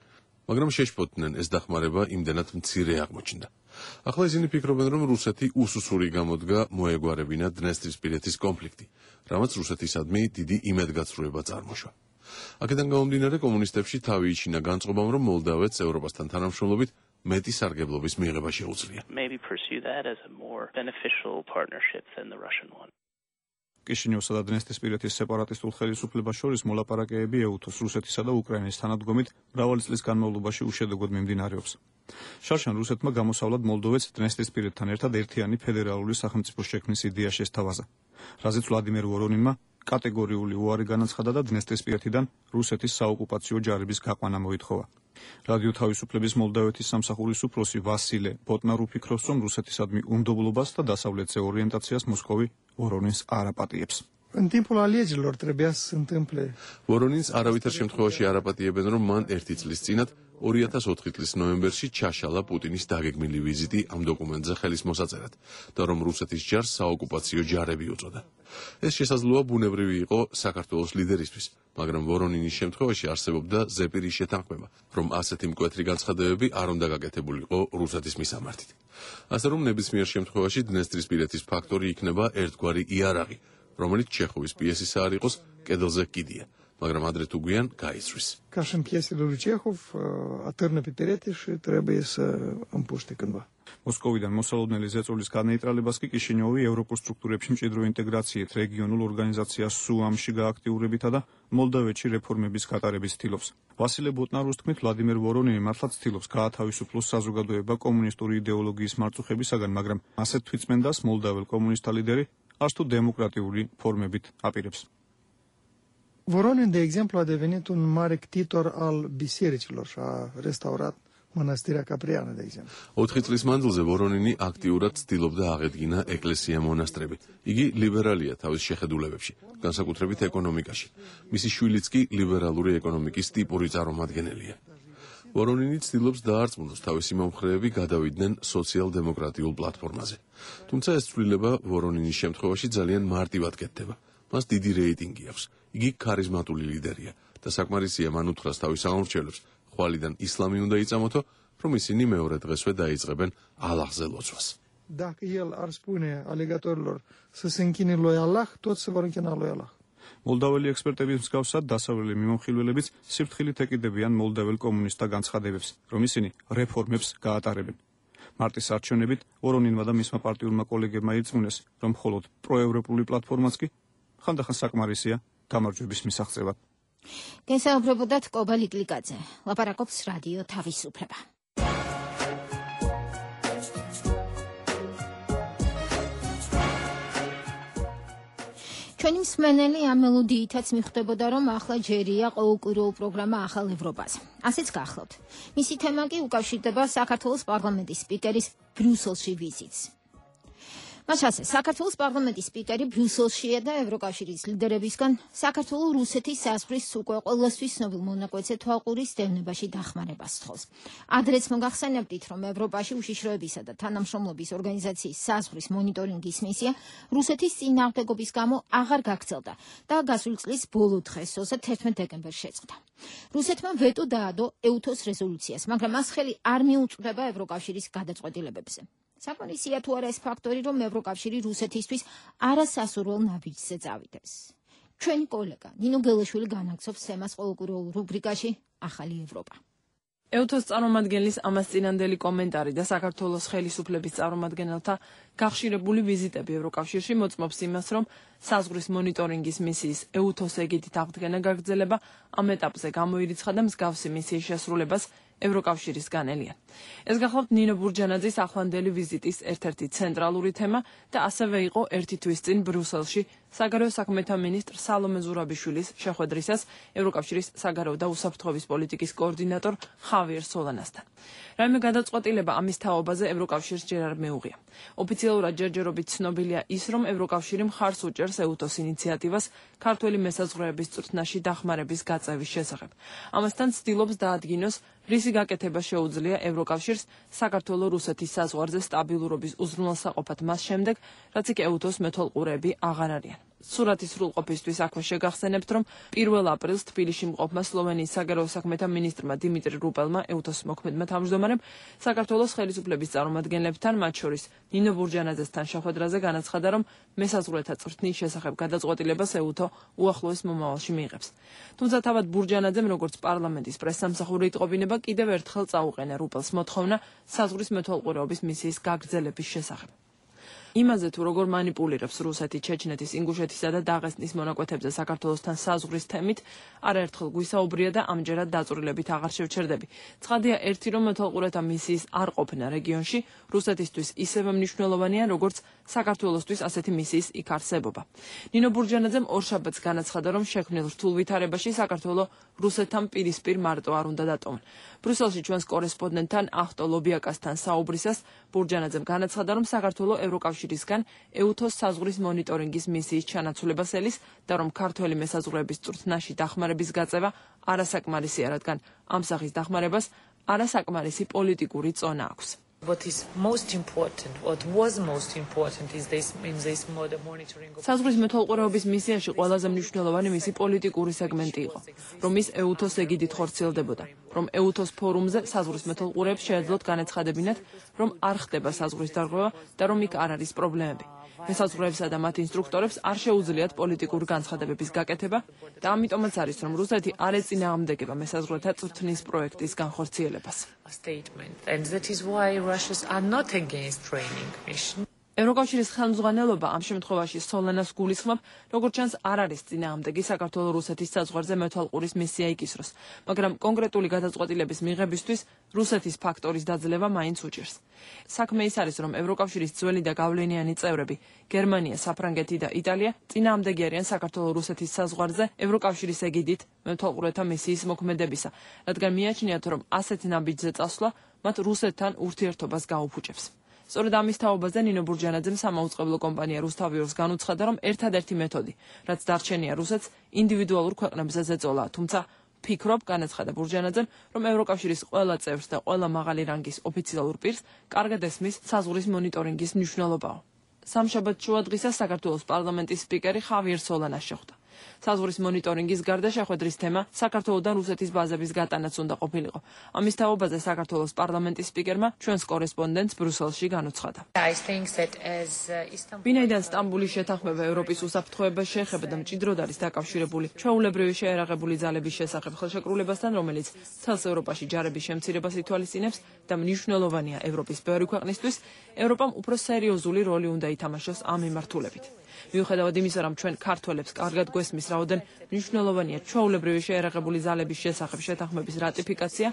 მაგრამ შეშფოთდნენ, ეს დახმარება იმდენად მცირე აღმოჩნდა. ახლა ისინი ფიქრობენ, რომ რუსეთი უსუსური გამოდგა მოეგვარებინა დნესტრისპირეთის კონფლიქტი, რამაც რუსეთისადმი დიდი იმედგაცრუება წარმოშვა. აქედან გამომდინარე, კომუნისტებში თავი იჩინა განწყობამ, რომ მოლდავეთს ევროპასთან თანამშრომლობით მეტი სარგებლობის მიღება შეუძლია. კიშინიოვსა და დნესტრისპირეთის სეპარატისტულ ხელისუფლებას შორის მოლაპარაკებები ეუთოს, რუსეთისა და უკრაინის თანადგომით მრავალი წლის განმავლობაში უშედეგოდ მიმდინარეობს. შარშან რუსეთმა გამოსავლად მოლდოვეთს დნესტრისპირეთთან ერთად ერთიანი ფედერალური სახელმწიფოს შექმნის იდეა შესთავაზა, რაზეც ვლადიმერ ვორონინმა კატეგორიული უარი განაცხადა და დნესტრისპირეთიდან რუსეთის საოკუპაციო ჯარების გაყვანა მოითხოვა. რადიო თავისუფლების მოლდავეთის სამსახურის უფროსი ვასილე ბოტნარ უფიქროს, რომ რუსეთისადმი უნდობლობას და დასავლეთზე ორიენტაციას მოსკოვი ვორონინს არ აპატიებს. În timpul alegerilor trebuia să se întâmple. ვორონინს არავითარ შემთხვევაში არ აპატიებენ, რომ მან ერთი წლის წინათ ორი ათას ოთხი წლის ნოემბერში ჩაშალა პუტინის დაგეგმილი ვიზიტი ამ დოკუმენტზე ხელის მოსაწერად და რომ რუსეთის ჯარს საოკუპაციო ჯარები უწოდა. ეს შესაძლოა ბუნებრივი იყო საქართველოს ლიდერისთვის, მაგრამ ვორონინის შემთხვევაში არსებობდა ზეპირის შეთანხმება, რომ ასეთი მკვეთრი განცხადებები არ უნდა გაკეთებულიყო რუსეთის მისამართით. ასე რომ ნებისმიერ შემთხვევაში დნესტრისპირეთის ფაქტორი იქნება ერთგვარი იარაღი, რომელიც ჩეხოვის პიესისა არ იყოს კედელზე კიდია, მაგრამ ადრე თუ გვიან გაიცვრის. Ca și în piesele lui Чехов, atârnă pe perete și trebuie să împuște cândva. მოსკოვიდან მოსალოდნელი ზეწოლის განეიტრალებას კი კიშინიოვი ევროპულ სტრუქტურებში მჭიდრო ინტეგრაციით, რეგიონულ ორგანიზაციას სუამში გააქტიურებითა და მოლდავეთში რეფორმების გატარების ცდილობს. ვასილე ბოტნარუს თქმით, ვლადიმერ ვორონინი მართლაც ცდილობს გაათავისუფლოს საზოგადოება კომუნისტური იდეოლოგიის მარწუხებისაგან, მაგრამ ასეთ თვითწმენდას მოლდაվել კომუნისტთა ლიდერი arts tu democratului formebit apirებს. Voronin, de exemplu, a devenit un mare ctitor al bisericilor și a restaurat mănăstirea Capriană, de exemplu. ოთხი წლის მანძილზე ვორონინი აქტიურად ცდილობდა აღედგინა ეკლესია მონასტრები. იგი ლიბერალია თავის შეხედულებებში, განსაკუთრებით ეკონომიკაში. მისი შვილიც კი ლიბერალური ეკონომიკის ტიპური წარმომადგენელია. ვორონინი ცდილობს დაარწმუნოს თავისი მომხრეები გადავიდნენ სოციალ-დემოკრატიულ პლატფორმაზე. თუმცა ეს ცვლილება ვორონინის შემთხვევაში ძალიან მარტივად კეთდება. მას დიდი რეიტინგი აქვს. იგი ქარიზმატული ლიდერია და საკმარისია მან უთხრას თავის აღმორჩენებს, ხვალიდან ისლამი უნდა იწამოთო, რომ ისინი მეორე დღესვე დაიწყებენ ალაჰზე ლოცვას. Dacă el ar spune alegătorilor să se închine lui Allah, toți se vor închina lui Allah. მოლდაველი ექსპერტების მსგავსად დასავლელი მიმოხილველებიც სიფრთხილით ეკიდებიან მოლდაվել კომუნისტთა განცხადებებს, რომ ისინი რეფორმებს გაატარებენ. მარტის არჩევნებით ვორონინმა და მისმა პარტიულმა კოლეგებმა ირწმუნეს, რომ მხოლოდ პროევროპული პლატფორმაც კი ხანდახან საკმარისია გამარჯვების მისაღწევად. გესაუბრებოდათ კობა ლიკლიკაძე, ლაპარაკობს რადიო თავისუფლება. ჩვენი მსმენელი ამ მელოდიითაც მიხვდებოდა, რომ ახლა ჯერია ყოველკვირეულ პროგრამა ახალ ევროპაზე. ასეც გახლავთ. მისი თემა კი უკავშირდება საქართველოს პარლამენტის სპიკერის ბრიუსელში ვიზიტს. მას ასე, საქართველოს პარლამენტის სპიკერი ბრიუსელშია და ევროკავშირის ლიდერებისგან საქართველოს რუსეთის საზღვრის უკვე ყველასთვის ცნობილ მონაკვეთზე თვალყურის დევნებაში დახმარებას სთხოვს. ადრეც მოგახსენებდით, რომ ევროპაში უშიშროებისა და თანამშრომლობის ორგანიზაციის საზღვრის მონიტორინგის მისია რუსეთის წინააღმდეგობის გამო აღარ გაგრძელდა და გასული წლის ბოლო დღეს, თერთმეტ დეკემბერს შეწყდა. რუსეთმა ვეტო დაადო ეუთოს რეზოლუციას, მაგრამ მას ხელი არ მიუწვდება ევროკავშირის გადაწყვეტილებებზე. საკმარისია თუ არა ეს ფაქტორი, რომ ევროკავშირი რუსეთისთვის არასასურველ ნაბიჯზე წავიდეს. ჩვენი კოლეგა ნინო გელაშვილი განაგზობს თემას ყოველკვირეულ რუბრიკაში ახალი ევროპა. ეუთოს წარმომადგენლის ამას წინანდელი კომენტარი და საქართველოს ხელისუფლების წარმომადგენელთა გახშირებული ვიზიტები ევროკავშირში მოწმობს იმას, რომ საზღვრის მონიტორინგის მისიის ეუთოს ეგიდით აღდგენა გაგრძელება ამ ეტაპზე გამოირიცხა და მსგავსი მისიის შესრულებას ევროკავშირის განელია. ეს გახლავთ ნინო ბურჯანაძის ახლანდელი ვიზიტის ერთ-ერთი ცენტრალური თემა და ასევე იყო ერთი თვის წინ ბრიუსელში საგარეო საქმეთა მინისტრ სალომე ზურაბიშვილის შეხვედრისას ევროკავშირის საგარეო და უსაფრთხოების პოლიტიკის კოორდინატორ ხავიერ სოლანასთან. რაიმე გადაწყვეტილება ამის თაობაზე ევროკავშირს ჯერ არ მეუღია. ოფიციალურად ჯერჯერობით ცნობილია ის, რომ ევროკავშირი მხარს უჭერს უსწრებს ეუთოს ინიციატივას ქართველი მესაზღვრეების წვრთნაში დახმარების გაწევის შესახებ. ამასთან ცდილობს დაადგინოს, რისი გაკეთება შეუძლია ევროკავშირს საქართველო-რუსეთის საზღვარზე სტაბილურობის უზრუნველსაყოფად მას შემდეგ, რაც იქ ეუთოს მეთვალყურეები აღარ არიან. სურათის სრულყოფისთვის აქვე შეგახსენებთ, რომ პირველ აპრილს თბილისში მყოფმა სლოვენიის საგარეო საქმეთა მინისტრმა დიმიტრი რუპელმა ეუთოს მოქმედმა თავმჯდომარემ საქართველოს ხელისუფლების წარმომადგენლებთან, მათ შორის ნინო ბურჯანაძესთან შეხვედრაზე განაცხადა, რომ მესაზღვრეთა წვრთნის შესახებ გადაწყვეტილებას ეუთო უახლოეს მომავალში მიიღებს. თუმცა თავად ბურჯანაძემ, როგორც პარლამენტის პრესსამსახური იტყობინება, კიდევ ერთხელ წაუყენა რუპელს მოთხოვნა საზღვრის მეთვალყურეობის მისიის გაგრძელების შესახებ. იმაზე თუ როგორ მანიპულირებს რუსეთი ჩეჩნეთის, ინგუშეთისა და დაღესტნის მონაკვეთებზე საქართველოსთან საზღვრის თემით, არაერთხელ გვისაუბრია და ამჯერად დაწვრილებით აღარ შევჩერდები. ცხადია ერთი, რომ მეთვალყურეთა მისიის არ ყოფნა რეგიონში რუსეთისთვის ისევე მნიშვნელოვანია, როგორც საქართველოსთვის ასეთი მისიის იქ არსებობა. ნინო ბურჯანაძემ ორშაბათს განაცხადა, რომ შექმნილ რთულ ვითარებაში საქართველო რუსეთთან პირისპირ მარტო არ უნდა დატოვონ. ბრიუსელში ჩვენს კორესპონდენტთან ახტო ლობიაკასთან საუბრისას ბურჯანაძემ განაცხადა, რომ საქართველო ევროკავშირისგან ეუთოს საზღვრის მონიტორინგის მისიის ჩანაცვლებას ელის და რომ ქართველი მესაზღვრეების წვრთნაში დახმარების გაწევა არასაკმარისია, რადგან ამ სახის დახმარებას არასაკმარისი პოლიტიკური წონა აქვს. What is most important, what was most important is this in this model monitoring. საზღვრის მეთვალყურეობის მისიაში ყველაზე მნიშვნელოვანი მისი პოლიტიკური სეგმენტი იყო, რომ ის ეუთოს ეგიდით ხორციელდებოდა, რომ ეუთოს ფორუმზე საზღვრის მეთვალყურეებს შეეძლოთ განაცხადებინათ, რომ არ ხდება საზღვრის დარღვევა და რომ იქ არ არის პრობლემები. მესაზღვრეებსა და მათ ინსტრუქტორებს არ შეუძლიათ პოლიტიკური განცხადებების გაკეთება და ამიტომაც არის, რომ რუსეთი არ ეწინააღმდეგება მესაზღვრეთა წვრთნის პროექტის განხორციელებას. And that is why Russians are not against training mission. ევროკავშირის ხელმძღვანელობა ამ შემთხვევაში სოლანას გულისხმობ, როგორც ჩანს, არ არის წინააღმდეგი საქართველო-რუსეთის საზღვარზე მეთვალყურის მისია იკისროს, მაგრამ კონკრეტული გადაწყვეტილების მიღებისთვის რუსეთის ფაქტორის დაძლევა მაინც უჭირს. საქმე ის არის, რომ ევროკავშირის ძველი და გავლენიანი წევრები, გერმანია, საფრანგეთი და იტალია წინააღმდეგი არიან საქართველო-რუსეთის საზღვარზე ევროკავშირის ეგიდით მეთვალყურეთა მისიის მოქმედებისა, რადგან მიაჩნიათ, რომ ასეთ ნაბიჯზე წასვლა მათ რუსეთთან ურთიერთობას გაუფუჭებს. სწორედ ამის თაობაზე ნინო ბურჯანაძემ სამაუწყებლო კომპანია რუსთავიორს განუცხადა, რომ ერთადერთი მეთოდი, რაც დარჩენია რუსეთს, ინდივიდუალურ ქვეყნებზე ზეწოლაა, თუმცა ფიქრობ, განაცხადა ბურჯანაძემ, რომ ევროკავშირის ყველა წევრს და ყველა მაღალი რანგის ოფიციალურ პირს კარგად ესმის საზღვრის მონიტორინგის მნიშვნელობაო. სამშაბათ შუადღისას საქართველოს პარლამენტის სპიკერი ხავიერ სოლანას შეხვდა. საზღვრის მონიტორინგის გარდა შეხვედრის თემა საქართველოსთან რუსეთის ბაზების გატანაც უნდა ყოფილიყო. ამის თაობაზე საქართველოს პარლამენტის სპიკერმა ჩვენს კორესპონდენტს ბრიუსელში განუცხადა. ვინაიდან სტამბულის შეთანხმება ევროპის უსაფრთხოებას შეეხება და მჭიდროდ არის დაკავშირებული ჩვეულებრივი შეერაღებული ძალების შესახებ ხელშეკრულებასთან, რომელიც მთელს ევროპაში ჯარების შემცირებას ითვალისწინებს და მნიშვნელოვანია ევროპის ბევრი ქვეყნისთვის, ევროპამ უფრო სერიოზული როლი უნდა ითამაშოს ამ მიმართულებით. მიუხედავად იმისა, რომ ჩვენ ქართველებს კარგად გვესმის, რაოდენ მნიშვნელოვანია ჩვეულებრივი შეერაღებული ძალების შესახებ შეთანხმების რატიფიკაცია,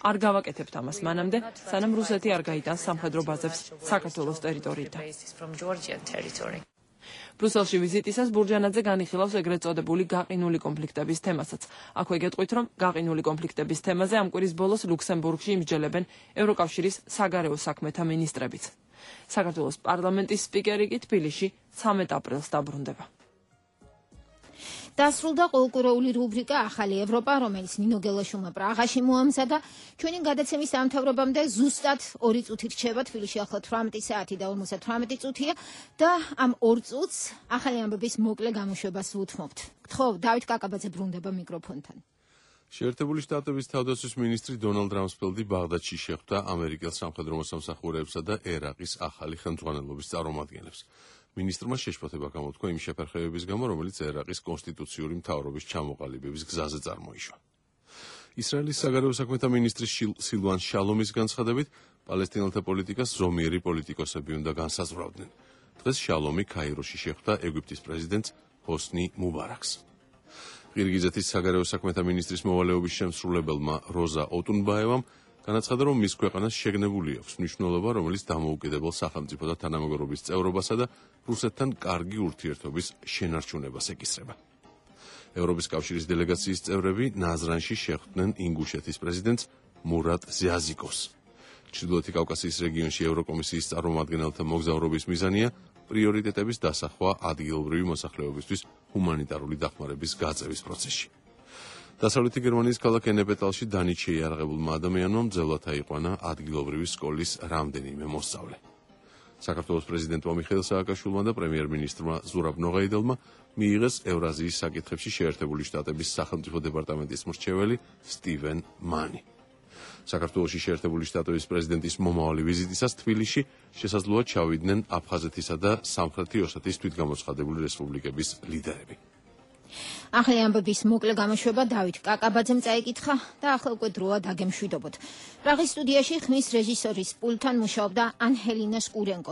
არ გავაკეთებთ ამას მანამდე, სანამ რუსეთი არ გაიტანს სამხედრო ბაზებს საქართველოს ტერიტორიიდან. ბრიუსელში ვიზიტისას ბურჯანაძე განიხილავს ეგრეთ წოდებული გაყინული კონფლიქტების თემასაც. აქვე გეტყვით, რომ გაყინული კონფლიქტების თემაზე ამ კვირის ბოლოს ლუქსემბურგში იმსჯელებენ ევროკავშირის საგარეო საქმეთა მინისტრებიც. საქართველოს პარლამენტის სპიკერი კი თბილისში ცამეტ აპრილს დაბრუნდება. დასრულდა ყოველკვირეული რუბრიკა ახალი ევროპა, რომელიც ნინო გელაშვილმა პრაღაში მოამზადა. ჩვენი გადაცემის დამთავრებამდე ზუსტად ორი წუთი რჩება, თბილისში ახლა თვრამეტი საათი და ორმოცდათვრამეტი წუთია და ამ ორ წუთს ახალი ამბების მოკლე გამოშვებას ვუთმობთ. გთხოვ, დავით კაკაბაძე ბრუნდება მიკროფონთან. შეერთებული შტატების თავდაცვის მინისტრი დონალდ რამსფელდი ბაღდადში შეხვდა ამერიკელ სამხედრო მოსამსახურეებსა და ერაყის ახალი ხელმძღვანელობის წარმომადგენლებს. მინისტრმა შეშფოთება გამოთქვა იმ შეფერხებების გამო, რომელიც ერაყის კონსტიტუციური მთავრობის ჩამოყალიბების გზაზე წარმოიშვა. ისრაელის საგარეო საქმეთა მინისტრის სილვან შალომის განცხადებით, პალესტინელთა პოლიტიკას ზომიერი პოლიტიკოსები უნდა განსაზღვრავდნენ. დღეს შალომი კაიროში შეხვდა ეგვიპტის პრეზიდენტს ჰოსნი მუბარაკს. ყირგიზეთის საგარეო საქმეთა მინისტრის მოვალეობის შემსრულებელმა როზა ოტუნბაევამ განაცხადა, რომ მის ქვეყანას შეგნებული აქვს მნიშვნელობა, რომელიც დამოუკიდებელ სახელმწიფოთა თანამეგობრობის წევრობასა და რუსეთთან კარგი ურთიერთობის შენარჩუნებას ეკისრება. ევროპის კავშირის დელეგაციის წევრები ნაზრანში შეხვდნენ ინგუშეთის პრეზიდენტს მურატ ზიაზიკოს. ჩრდილოეთი კავკასიის რეგიონში ევროკომისიის წარმომადგენელთა მოგზაურობის მიზანია პრიორიტეტების დასახვა ადგილობრივი მოსახლეობისთვის ჰუმანიტარული დახმარების გაწევის პროცესში. დასავლეთი გერმანიის ქალაქ ენეპეტალში დანით შეიარაღებულმა ადამიანმა მძევლად აიყვანა ადგილობრივი სკოლის რამდენიმე მოსწავლე. საქართველოს პრეზიდენტმა მიხეილ სააკაშვილმა და პრემიერ-მინისტრმა ზურაბ ნოღაიდელმა მიიღეს ევრაზიის საკითხებში შეერთებული შტატების სახელმწიფო დეპარტამენტის მრჩეველი სტივენ მანი. საქართველოში შეერთებული შტატების პრეზიდენტის მომავალი ვიზიტისას თბილისში შესაძლოა ჩავიდნენ აფხაზეთისა და სამხრეთი ოსეთის თვითგამოცხადებული რესპუბლიკების ლიდერები. ახალი ამბების მოკლე გამოშვება დავით კაკაბაძემ წაიკითხა და ახლა უკვე დროა დაგემშვიდობოთ. პრაღის სტუდიაში ხმის რეჟისორის პულტთან მუშაობდა ანჰელინა სკურენკო.